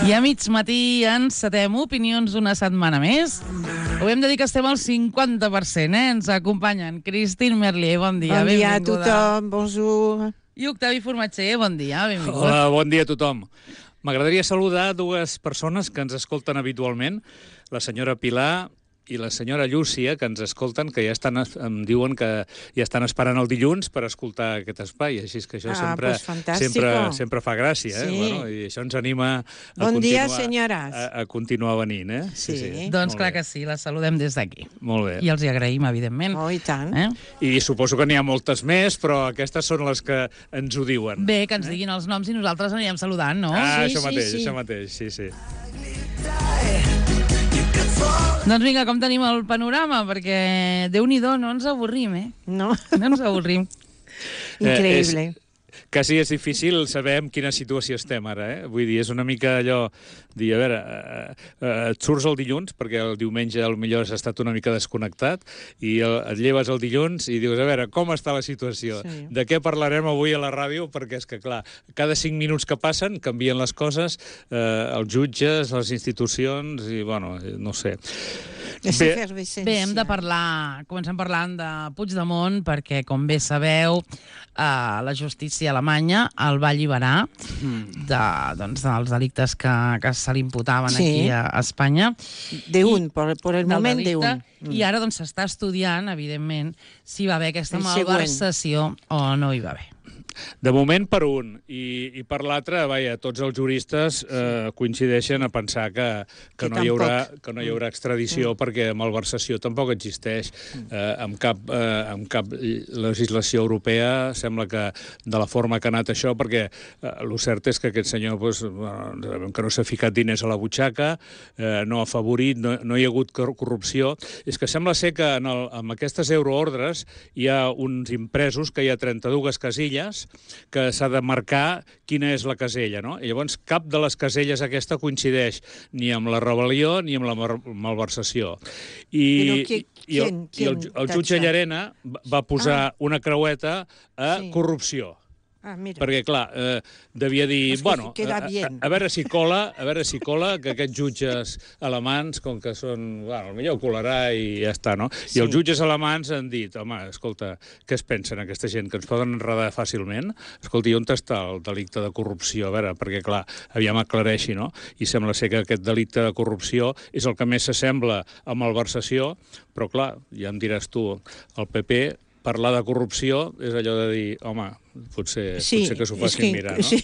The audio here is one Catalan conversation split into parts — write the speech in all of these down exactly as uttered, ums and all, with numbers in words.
I a mig matí encetem opinions una setmana més. Ho hem de dir que estem al cinquanta per cent, eh? Ens acompanyen Christine Merlier, bon dia, bon dia benvinguda. a tothom, bonjour. I Octavi Formatger, bon dia, benvingut. Hola, bon dia a tothom. M'agradaria saludar dues persones que ens escolten habitualment, la senyora Pilar i la senyora Llúcia, que ens escolten, que ja estan, em diuen que ja estan esperant el dilluns per escoltar aquest espai, així que això Ah, sempre, pues sempre, sempre fa gràcia, eh? Sí. Bueno, i això ens anima a, bon continuar, dia, senyores. a, a continuar venint. Eh? Sí. sí. Doncs clar que sí, la saludem des d'aquí. Molt bé. I els hi agraïm, evidentment. Oh, i tant. Eh? I suposo que n'hi ha moltes més, però aquestes són les que ens ho diuen. Bé, que ens diguin els noms i nosaltres anirem saludant, no? Ah, Sí, això sí, mateix, sí. això mateix, sí, sí. Doncs vinga, com tenim el panorama? Perquè, Déu-n'hi-do, no ens avorrim, eh? No? No ens avorrim. Increïble. Eh, és, quasi és difícil saber en quina situació estem ara, eh? Vull dir, és una mica allò, dir, a veure, eh, eh, et surts el dilluns, perquè el diumenge potser has estat una mica desconnectat, i el, et lleves el dilluns i dius, a veure, com està la situació? Sí. De què parlarem avui a la ràdio? Perquè és que, clar, cada cinc minuts que passen canvien les coses, eh, els jutges, les institucions, i, bueno, no sé. És Bé, efervescència. Bé, hem de parlar, comencem parlant de Puigdemont, perquè, com bé sabeu, eh, la justícia alemanya el va alliberar de, doncs, dels delictes que, que se li imputaven Sí. aquí a, a Espanya. De un, por, por el del moment de delicte, un. I ara doncs s'està estudiant, evidentment, si va haver aquesta El següent. malversació o no hi va haver. De moment per un, i, i per l'altre, vaja, tots els juristes eh, coincideixen a pensar que, que, Que no, hi haurà, tampoc. que no hi haurà extradició mm. perquè malversació tampoc existeix eh, amb, cap, eh, amb cap legislació europea. Sembla que de la forma que ha anat això, perquè eh, el cert és que aquest senyor pues, bueno, que no s'ha ficat diners a la butxaca, eh, no ha afavorit, no, no hi ha hagut corrupció. És que sembla ser que en, el, en aquestes euroordres hi ha uns impresos que hi ha trenta-dues casilles que s'ha de marcar quina és la casella, no? I llavors cap de les caselles aquesta coincideix ni amb la rebel·lió ni amb la malversació. I, Però qui- i, el, quién- i el, quién el jutge tacha? Llarena va posar Ah. una creueta a Sí. corrupció. Ah, mira. Perquè, clar, eh, devia dir... Es que bueno, queda a, a, bien. a veure si cola, a veure si cola, que aquests jutges alemans, com que són... Bueno, potser colarà i ja està, no? Sí. I els jutges alemans han dit, home, escolta, què es pensen aquesta gent, que ens poden enredar fàcilment? Escolta, i on està el delicte de corrupció? A veure, perquè, clar, aviam aclareixi, no? I sembla ser que aquest delicte de corrupció és el que més s'assembla a malversació, però, clar, ja em diràs tu, el P P... Parlar de corrupció és allò de dir, home, potser, Sí, potser que s'ho és facin que- mirar, no? sí.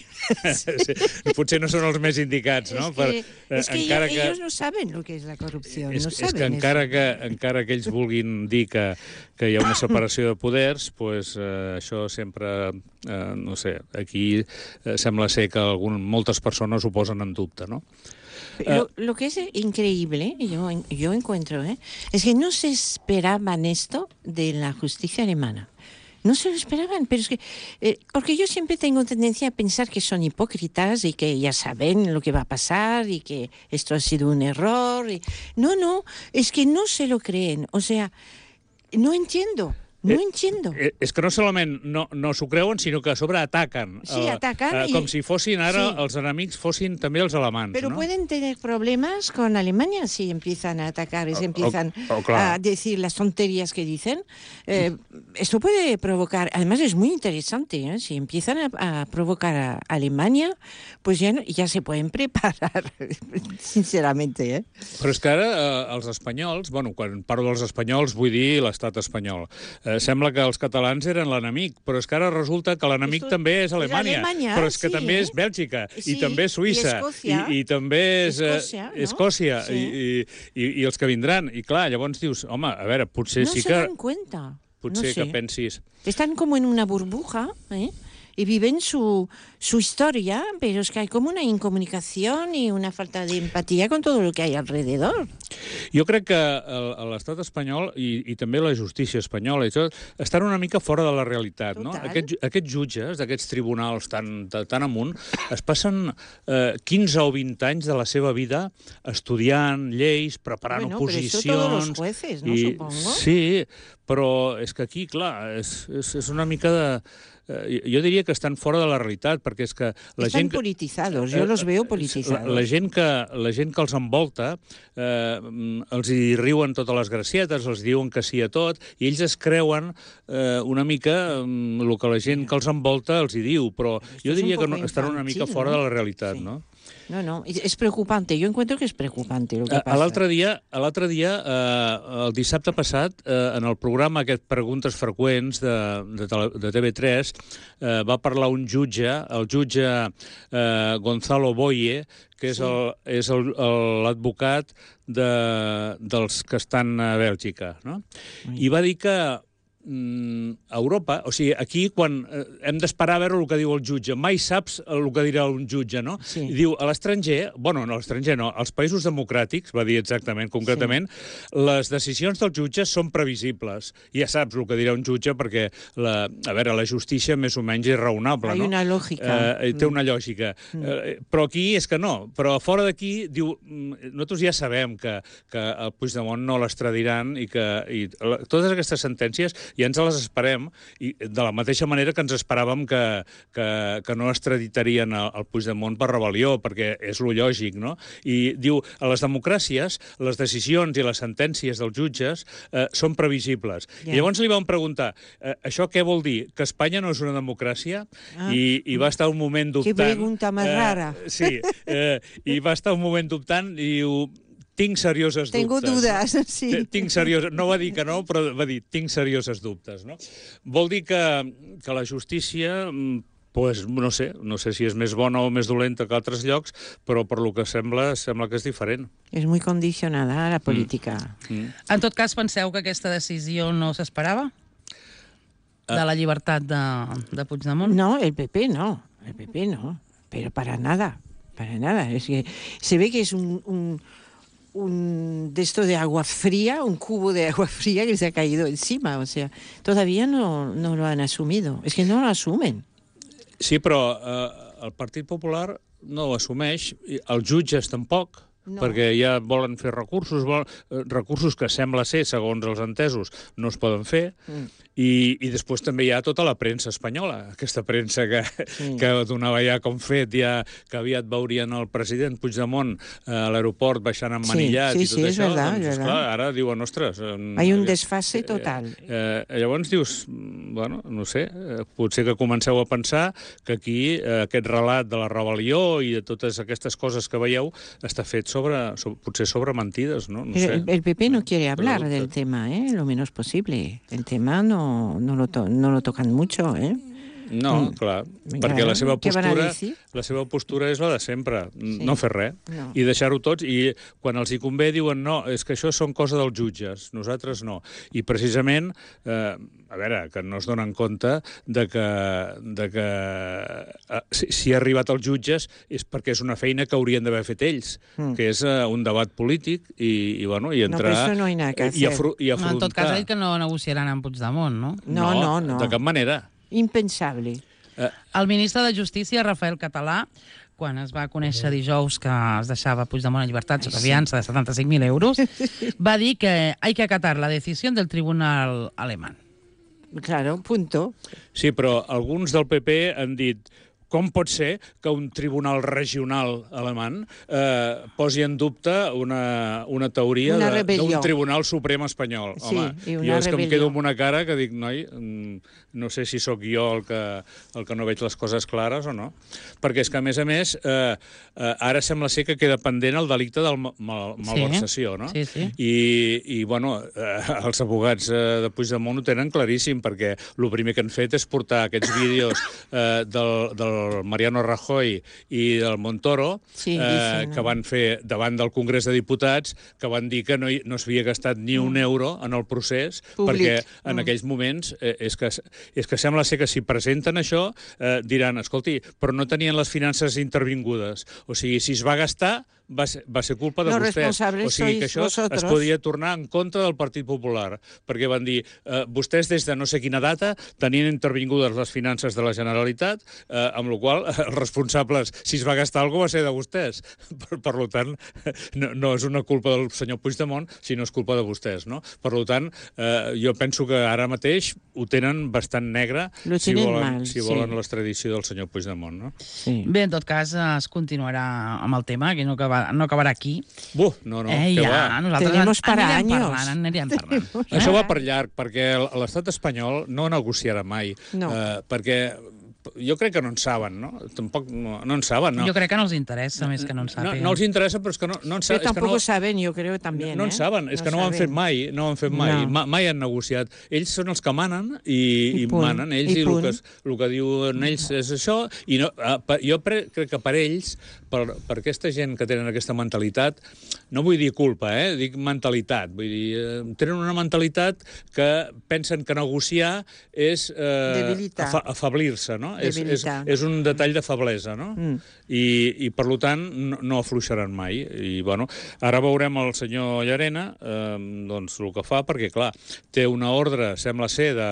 sí. Potser no són els més indicats, no? Es que, eh, es que encara ellos, que, ellos no saben lo que es la corrupción. és, no és saben que encara eso. que, encara que ells vulguin dir que, que hi ha una separació de poders, pues, eh, això sempre, eh, no sé, aquí eh, sembla ser que algun, moltes persones ho posen en dubte, no? Lo, lo que es increíble, yo, yo encuentro, ¿eh? es que no se esperaban esto de la justicia alemana. No se lo esperaban, pero es que... Eh, porque yo siempre tengo tendencia a pensar que son hipócritas y que ya saben lo que va a pasar y que esto ha sido un error. Y... No, no, es que no se lo creen. O sea, no entiendo. No Eh, entiendo. Eh, és que no solament no, no s'ho creuen, sinó que a sobre ataquen. Sí, ataquen eh, i- com si fossin ara, Sí. els enemics fossin també els alemans, Pero no? pueden tener problemas con Alemania si empiezan a atacar y se O- empiezan o- o claro. a decir las tonterías que dicen. Eh, esto puede provocar, además es muy interesante, ¿eh? Si empiezan a, a provocar a Alemania, pues ya, no- ya se pueden preparar, sinceramente. ¿eh? Però és que ara eh, els espanyols, bueno, quan parlo dels espanyols vull dir l'estat espanyol, eh, sembla que els catalans eren l'enemic, però és que ara resulta que l'enemic Esto- també és és Alemanya, Alemanya, però és que sí, també eh? és Bèlgica, Sí, i també Suïssa, i Escòcia. i, i també és eh, Escòcia, no? Escòcia, Sí. i, i, i els que vindran. I clar, llavors dius, home, a veure, potser No sí se que... dan cuenta. Potser no sé. que pensis... Están como en una burbuja, ¿eh? Y viven su, su historia, pero es que hay como una incomunicación y una falta de empatía con todo lo que hay alrededor. Jo crec que el- l'estat espanyol i, i també la justícia espanyola i tot, estan una mica fora de la realitat, no? Total. Aquests, aquests jutges d'aquests tribunals tan, tan, tan amunt es passen eh, quinze o vint anys de la seva vida estudiant lleis, preparant Bueno, pero oposicions... eso todos los jueces, ¿no? Supongo. Sí, però és que aquí, clar, és, és, és una mica de... eh, jo diria que estan fora de la realitat, perquè és que la Estan gent que, politizados, jo los veo politizados. la, la, gent que, la gent que els envolta eh, els hi riuen totes les gracietes, els diuen que sí a tot, i ells es creuen eh, una mica mm, el que la gent que els envolta els hi diu, però jo diria que no, estan una mica fora de la realitat, no? No, no, es preocupante. Yo encuentro que es preocupante lo que pasa. L'altre dia, l'altre dia eh, el dissabte passat, eh, en el programa aquest Preguntes Freqüents de, de, de T V tres, eh, va parlar un jutge, el jutge eh, Gonzalo Boye, que és sí. l'advocat de, dels que estan a Bèlgica, no? Sí. I va dir que a Europa, o sigui, aquí quan eh, hem d'esperar a veure el que diu el jutge, mai saps el que dirà un jutge, no? Sí. I diu, a l'estranger, bueno, no, a l'estranger no, als països democràtics, va dir exactament, concretament, sí. les decisions dels jutges són previsibles. I ja saps el que dirà un jutge perquè, la, a veure, la justícia més o menys és raonable, Hay no? una lògica. Eh, té una lògica. Mm. Eh, però aquí és que no. Però fora d'aquí, diu, nosaltres ja sabem que, que el Puigdemont no l'extradiran i que i, totes aquestes sentències i ens les esperem, i de la mateixa manera que ens esperàvem que, que, que no extraditarien el, el Puigdemont per rebel·lió, perquè és lo lògic, no? I diu, a les democràcies, les decisions i les sentències dels jutges eh, són previsibles. Yeah. I llavors li vam preguntar, eh, això què vol dir? Que Espanya no és una democràcia? Ah. I, I va estar un moment dubtant. Que pregunta més eh, rara. Sí, eh, i va estar un moment dubtant i diu... Tinc serioses Tengo dubtes. Tengo dudas, sí. Tinc serioses... No va dir que no, però va dir tinc serioses dubtes, no? Vol dir que, que la justícia, pues, no sé, no sé si és més bona o més dolenta que altres llocs, però per lo que sembla, sembla que és diferent. És molt condicionada la política. Mm. Mm. En tot cas, penseu que aquesta decisió no s'esperava? De la llibertat de, de Puigdemont? No, el P P no. El P P no. Pero para nada. Para nada. Es que se ve que es un... un un de esto de agua fría, un cubo de agua fría que se ha caído encima. O sea, todavía no, no lo han asumido. Es que no lo asumen. Sí, però eh, el Partit Popular no ho assumeix, els jutges tampoc, no. Perquè ja volen fer recursos, volen, eh, recursos que sembla ser, segons els entesos, no es poden fer, mm. i, i després també hi ha tota la premsa espanyola, aquesta premsa que, sí. que donava ja com fet, ja que aviat veurien el president Puigdemont eh, a l'aeroport baixant emmanillat sí, sí, i tot sí, això, verdad, doncs, esclar, ara diuen, ostres... Eh, Hay un desfase total. Eh, eh, llavors dius, bueno, no sé, eh, potser que comenceu a pensar que aquí eh, aquest relat de la rebel·lió i de totes aquestes coses que veieu està fet sobre, sobre potser sobre mentides, no? No sé. el, el P P no quiere hablar Pero, del tema, ¿eh? Lo menos posible. El tema no, no, lo, to no lo tocan mucho, ¿eh? No, clar, mm. perquè la seva postura la seva postura és la de sempre, sí. no fer res, no. I deixar-ho tots, i quan els hi convé diuen no, és que això són cosa dels jutges, nosaltres no. I precisament, eh, a veure, que no es donen compte de que, de que eh, si, si ha arribat als jutges és perquè és una feina que haurien d'haver fet ells, mm. que és eh, un debat polític i, i, bueno, i entrar... No, però no hi ha nada que i, afru i afrontar... No, en tot cas, ha dit que no negociaran amb Puigdemont, no? No, no, no. De cap manera. Impensable. Eh. El ministre de Justícia, Rafael Català, quan es va conèixer dijous que es deixava Puigdemont en llibertat sota fiança de setanta-cinc mil euros, va dir que hay que acatar la decisión del tribunal alemán. Claro, punto. Sí, però alguns del P P han dit com pot ser que un tribunal regional alemany eh, posi en dubte una, una teoria d'un tribunal suprem espanyol? Sí, home, i una jo és rebel·lió. Que em quedo amb una cara que dic, noi, no sé si sóc jo el que, el que no veig les coses clares o no. Perquè és que, a més a més, eh, eh, ara sembla ser que queda pendent el delicte del mal, malversació, no? Sí, sí. I, i bueno, eh, els abogats eh, de Puigdemont ho tenen claríssim, perquè el primer que han fet és portar aquests vídeos eh, del, del Mariano Rajoy i del Montoro, sí, eh, que van fer davant del Congrés de Diputats, que van dir que no, hi, no s'havia gastat ni un euro en el procés, Públic. Perquè en mm. aquells moments eh, és, que, és que sembla ser que si presenten això eh, diran, escolti, però no tenien les finances intervingudes. O sigui, si es va gastar, va ser, va ser culpa de Los vostès. O sigui que això vosotros. Es podia tornar en contra del Partit Popular, perquè van dir, eh, vostès des de no sé quina data tenien intervingudes les finances de la Generalitat eh, amb amb la qual cosa, els responsables, si es va gastar alguna cosa, va ser de vostès. Per, per tant, no, no és una culpa del senyor Puigdemont, sinó és culpa de vostès, no? Per tant, eh, jo penso que ara mateix ho tenen bastant negre Lo si volen, mal, si volen sí. l'extradició del senyor Puigdemont, no? Sí. Bé, en tot cas, es continuarà amb el tema, que no acabarà, no acabarà aquí. Buh, no, no, eh, què ja, va? nosaltres Tenemos an- para anirem años. parlant, anirem parlant. Això va per llarg, perquè l'estat espanyol no negociarà mai. No. Eh, perquè jo crec que no en saben, no? Tampoc no, no en saben, no? Jo crec que no els interessa més que no en No, sàpiguen. no els interessa, però és que no, no en Pero saben. És que tampoco no, saben, yo creo también. no en ¿eh? saben, és que no ho han fet saben. mai, no ho han fet mai, No. Ma, mai han negociat. Ells són els que manen i, I i punt. manen ells, I i, el, punt. que, el que diuen ells és això, i no, eh, per, jo pre, crec que per ells, per, per aquesta gent que tenen aquesta mentalitat, no vull dir culpa, eh? Dic mentalitat, vull dir, eh, tenen una mentalitat que pensen que negociar és eh, Debilitar. afa, afablir-se, no? És, és, Debilitar. és un detall de feblesa, no? Mm. I, i per tant no, no afluixaran mai. I bueno, ara veurem el senyor Llarena eh, doncs el que fa, perquè clar, té una ordre, sembla ser, de,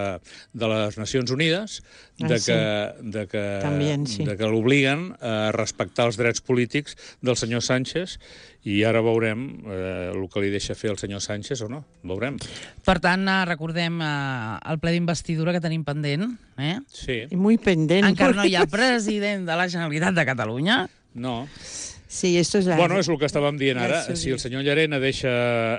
de les Nacions Unides de Ah, que, sí. de que, También, sí. de que l'obliguen a respectar els drets polítics del senyor Sánchez, i ara veurem eh, el que li deixa fer el senyor Sánchez o no. Veurem. Per tant, eh, recordem eh, el ple d'investidura que tenim pendent. Eh? Sí. Y muy pendiente. Encara no hi ha president de la Generalitat de Catalunya. No. Sí, esto es la... Bueno, és el que estàvem dient Ja ara. s'ho Si el dic. senyor Llarena deixa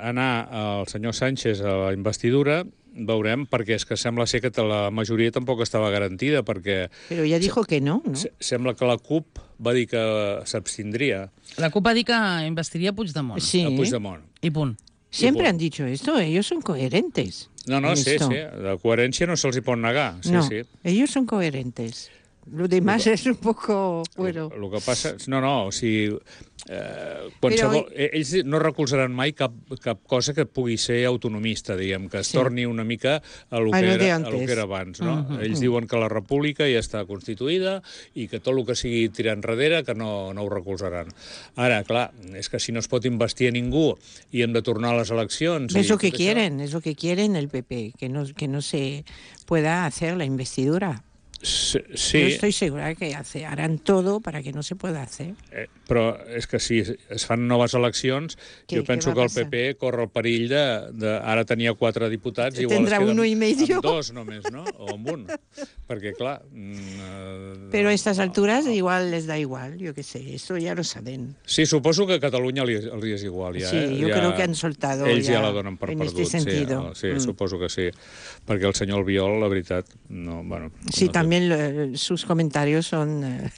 anar el senyor Sánchez a la investidura, veurem, perquè és que sembla ser que la majoria tampoc estava garantida, perquè Pero ya dijo que no, ¿no? se- sembla que la CUP va dir que s'abstindria La CUP va dir que investiria Puigdemont. Sí. a Puigdemont. I punt. Siempre Y han dicho esto, ellos son coherentes. No, no, en sí, esto. sí, de coherència no se'ls hi pot negar. Sí, no, sí. ellos son coherentes. Lo demás es un poco... Bueno, El que passa... No, no, o sigui... Eh, qualsevol, Però- ells no recolzaran mai cap, cap cosa que pugui ser autonomista, diguem, que es Sí. torni una mica a lo A que, lo de era, a lo antes. que era abans. No? Mhm. Ells diuen que la república ja està constituïda i que tot el que sigui tirar enrere que no, no ho recolzaran. Ara, clar, és que si no es pot investir a ningú i hem de tornar a les eleccions... es i lo que tot això- quieren, es lo que quieren el P P, que no, que no se pueda hacer la investidura. Sí, Yo sí, estoy segura que hace, harán todo para que no se pueda hacer. eh, però és que si es fan noves eleccions, Què- jo penso què que va el P P corre el perill de... de ara tenia quatre diputats, igual Tendrà es queden uno y medio. amb dos només, no? O amb un. Perquè, clar... Mm, eh, Pero a estas alturas igual les da igual, yo qué sé, eso ya lo saben. Sí, suposo que a Catalunya li, li és igual. Ja, Sí, eh? yo ja, creo que han soltado ells ja, ya la donen per en perdut. este sentido. Sí, sí Mm. suposo que sí. Perquè el senyor Albiol, la veritat, no... Bueno, Sí, no sé. también lo- sus comentarios son... eh,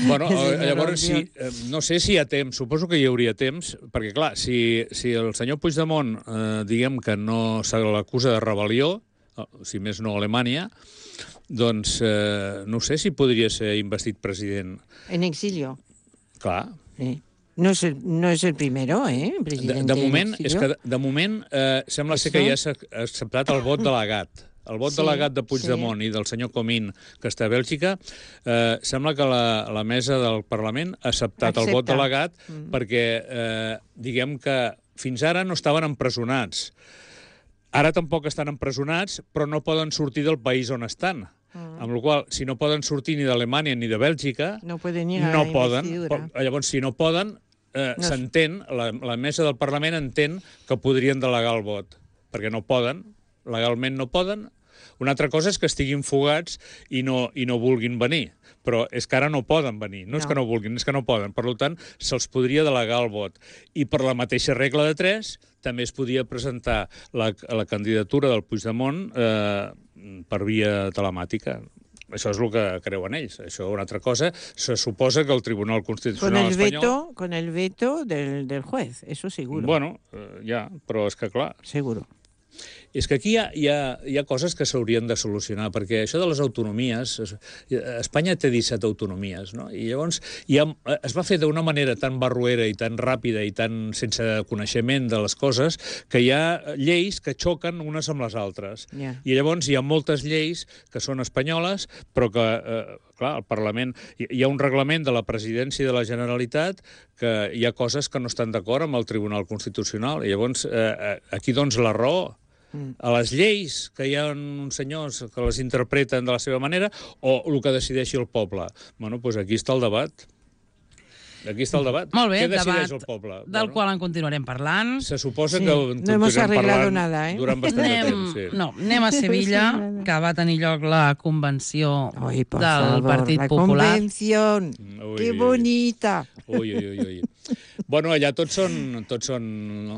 Bueno, el eh, señor llavors, si, Albiol. eh, no sé si hi ha temps, suposo que hi hauria temps, perquè, clar, si, si el senyor Puigdemont, eh, diguem que no se l'acusa de rebel·lió, eh, si més no a Alemanya, doncs eh, no sé si podria ser investit president. En exilio. Clar, Sí. No es el, no es el primero, ¿eh? de, Presidente de moment, en és exilio. que de, de moment eh, sembla ser que ja s'ha acceptat el vot delegat. El vot Sí, delegat de Puigdemont sí. i del senyor Comín, que està a Bèlgica, eh, sembla que la, la mesa del Parlament ha acceptat el vot Accepta. delegat Mm. perquè, eh, diguem que fins ara no estaven empresonats. Ara tampoc estan empresonats, però no poden sortir del país on estan. Mm. Amb la qual cosa, si no poden sortir ni d'Alemanya ni de Bèlgica, No pueden ir a no la poden. investidura. Po- Llavors, si no poden, eh, No. s'entén, la, la mesa del Parlament entén que podrien delegar el vot, perquè no poden, legalment no poden. Una altra cosa és que estiguin fugats i no, i no vulguin venir, però és que ara no poden venir. No, no és No. que no vulguin, és que no poden. Per tant, se'ls podria delegar el vot. I per la mateixa regla de tres, també es podia presentar la, la candidatura del Puigdemont eh, per via telemàtica. Això és el que creuen ells. Això, una altra cosa, se suposa que el Tribunal Con Constitucional el espanyol... veto, con el veto del, del juez, eso seguro. Bueno, eh, ja, però és que, clar, Seguro. és que aquí hi ha, hi ha, hi ha coses que s'haurien de solucionar, perquè això de les autonomies... es- Espanya té disset autonomies, no? I llavors hi ha, es va fer d'una manera tan barruera i tan ràpida i tan sense coneixement de les coses que hi ha lleis que xoquen unes amb les altres. Ja. I llavors hi ha moltes lleis que són espanyoles, però que, eh, clar, el Parlament... Hi, hi ha un reglament de la presidència de la Generalitat que hi ha coses que no estan d'acord amb el Tribunal Constitucional. I llavors, eh, aquí, doncs, la raó a les lleis, que hi ha uns senyors que les interpreten de la seva manera, o el que decideixi el poble? Bueno, doncs aquí està el debat. Aquí està el debat. Molt bé, Què decideix debat el poble? del Bueno, qual en continuarem parlant. se suposa Sí, que no continuarem hemos arreglado parlant nada, eh? durant bastant de Anem, temps. Sí. no, anem a Sevilla, que va tenir lloc la convenció Ay, por del favor, Partit la Popular. convención. Ui, Qué ui, ui. bonita. Ui, ui, ui, ui. Bueno, allà tots són, tots són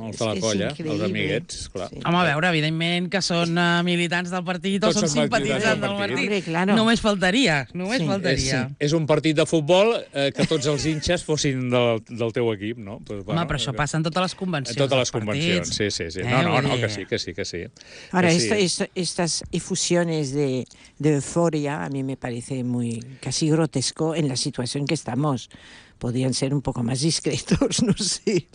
els de la És colla, els increïble. amiguets, clar. Sí. Home, a veure, evidentment que són uh, militants del partit o Tots són són militants simpatitzants del del partit. partit. Hombre, claro. Només faltaria, només Sí. És, faltaria. és un partit de futbol eh, que tots els hinxes fossin del, del teu equip, no? Pues, Home, però això passa en totes les convencions. En totes les dels convencions, partits. sí, sí, sí. Eh, No, no, vull no, dir- que sí, que sí, que sí. Ahora, Que esto- sí. esto- estas efusiones de, de euforia a mí me parece muy casi grotesco en la situación que estamos. Podrían ser un poco más discretos, no sé.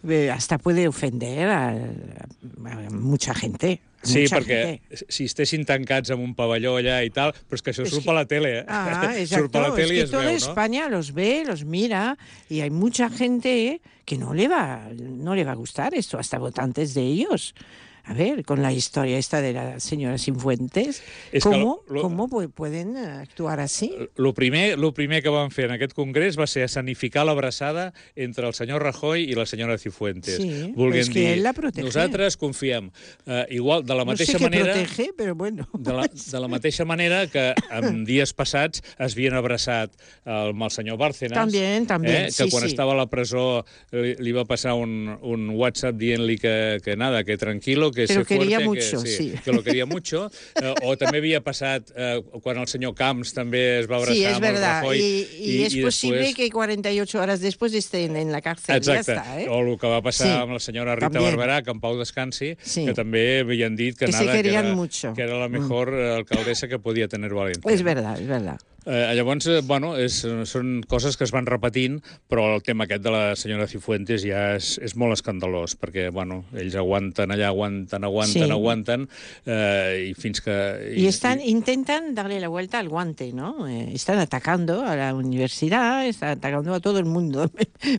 Eh, Hasta puede ofender a, a mucha gente. a Sí, mucha perquè gente. si estessin tancats en un pavelló allà i tal, però és que això Es surt que- per la tele, eh? Ah, Surt per la exacto. Es tele i que es toda veu, no? España los ve, los mira, y hay mucha gente que no le va, no le va a gustar esto, hasta votantes de ellos. A ver, con la historia esta de la señora Cifuentes, Es que ¿cómo, lo- lo- cómo pu- pueden eh, actuar así? El primer, lo primer que van fer en aquest congrés va ser escenificar l'abraçada entre el senyor Rajoy i la senyora Cifuentes. Sí, Volguem és que dir, ell la protege. nosaltres confiem, eh, igual, de la No sé mateixa qué manera... protege, pero bueno. De la, de la mateixa manera que en dies passats es havien abraçat el, amb el senyor Bárcenas, También, también, eh, que sí, quan sí. estava a la presó li, li va passar un, un WhatsApp dient-li que, que nada, que tranquilo, que Pero se fuerte, quería que, mucho, sí, sí. que lo quería mucho, eh, o també havia passat eh, quan el senyor Camps també es va abraçar Sí, es amb el verdad. Rajoy. Y, y es posible després... que cuarenta y ocho horas después estén en la cárcel. Exacte. Ya está, ¿eh? O el que va passar Sí. amb la senyora Rita También. Barberà, que en pau descansi, Sí. que també havien dit que, Que se nada, que, querían era, mucho. que era la mejor mm. alcaldessa que podia tenir València. Es verdad, es verdad. Eh, llavors, eh, bueno, és, són coses que es van repetint, però el tema aquest de la senyora Cifuentes ja és, és molt escandalós, perquè, bueno, ells aguanten allà, aguanten, aguanten, Sí. aguanten, eh, i fins que... Y están, intentan darle la vuelta al guante, ¿no? Eh, están atacando a la universidad, están atacando a todo el mundo,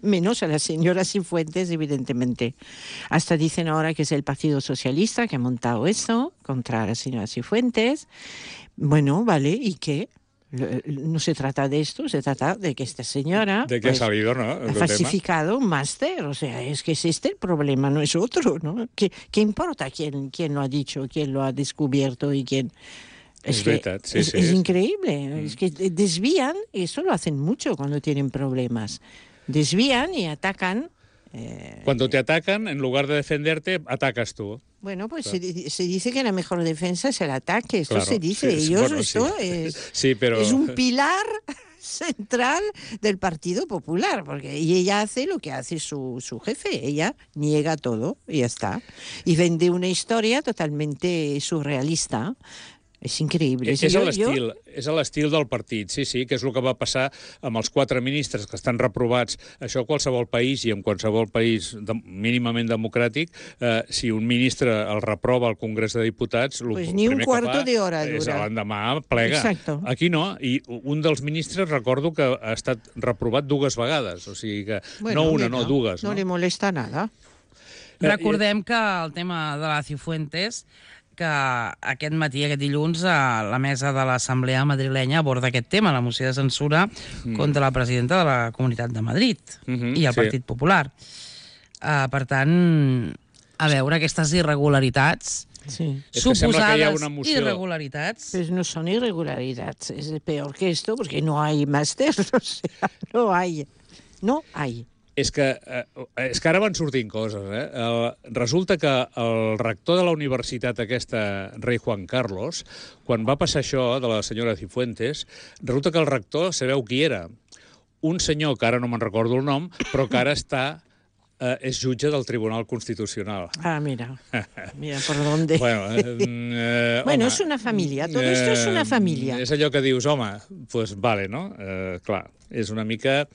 menos a la señora Cifuentes, evidentemente. Hasta dicen ahora que es el Partido Socialista que ha montado eso contra la señora Cifuentes. Bueno, vale, ¿y qué? No se trata de esto, se trata de que esta señora de que pues, ha salido, ¿no? ha falsificado un máster. O sea, es que es este el problema, no es otro, ¿no? ¿Qué, qué importa quién, quién lo ha dicho, quién lo ha descubierto y quién...? Es, Es que verdad, sí, es, sí, es es- increíble. Mm. Es que desvían, y eso lo hacen mucho cuando tienen problemas. Desvían y atacan. eh, Cuando te atacan, en lugar de defenderte, atacas tú. Bueno, pues se, di- se dice que la mejor defensa es el ataque. Esto Claro, se dice. sí, sí, Ellos, bueno, esto sí. es, Sí, pero... es un pilar central del Partido Popular, porque y ella hace lo que hace su, su jefe. Ella niega todo y ya está. Y vende una historia totalmente surrealista. És increïble. És, Jo- és jo- l'estil, és a l'estil del partit, sí, sí, que és el que va passar amb els quatre ministres que estan reprovats. Això a qualsevol país i en qualsevol país de, mínimament democràtic, eh, si un ministre el reprova al Congrés de Diputats, el Pues ni un primer que cuarto fa de hora és dura. l'endemà plega. Exacto. Aquí no, i un dels ministres recordo que ha estat reprovat dues vegades, o sigui que Bueno, no una, mira, no dues. No, No, le molesta nada. Eh, Recordem que el tema de la Cifuentes, que aquest matí, aquest dilluns, a la mesa de l'Assemblea madrilenya aborda aquest tema, la moció de censura mm. contra la presidenta de la Comunitat de Madrid Mm -hmm, i el sí. Partit Popular. Uh, per tant, a veure, aquestes irregularitats, Sí. És que sembla que hi ha suposades una moció... irregularitats... Pues no son irregularidades, es peor que esto porque no hay máster, o sea, no hay, no hay. És que, eh, és que ara van sortint coses. Eh? El, resulta que el rector de la universitat aquesta, Rei Juan Carlos, quan va passar això de la senyora Cifuentes, resulta que el rector sabeu qui era? Un senyor, que ara no me'n recordo el nom, però que ara està... Eh, és jutge del Tribunal Constitucional. Ah, mira, mira por dónde. Bueno, eh, eh, Bueno, home, es una familia, todo esto es una familia. És allò que dius, home, pues vale, no? Eh, clar, és una mica...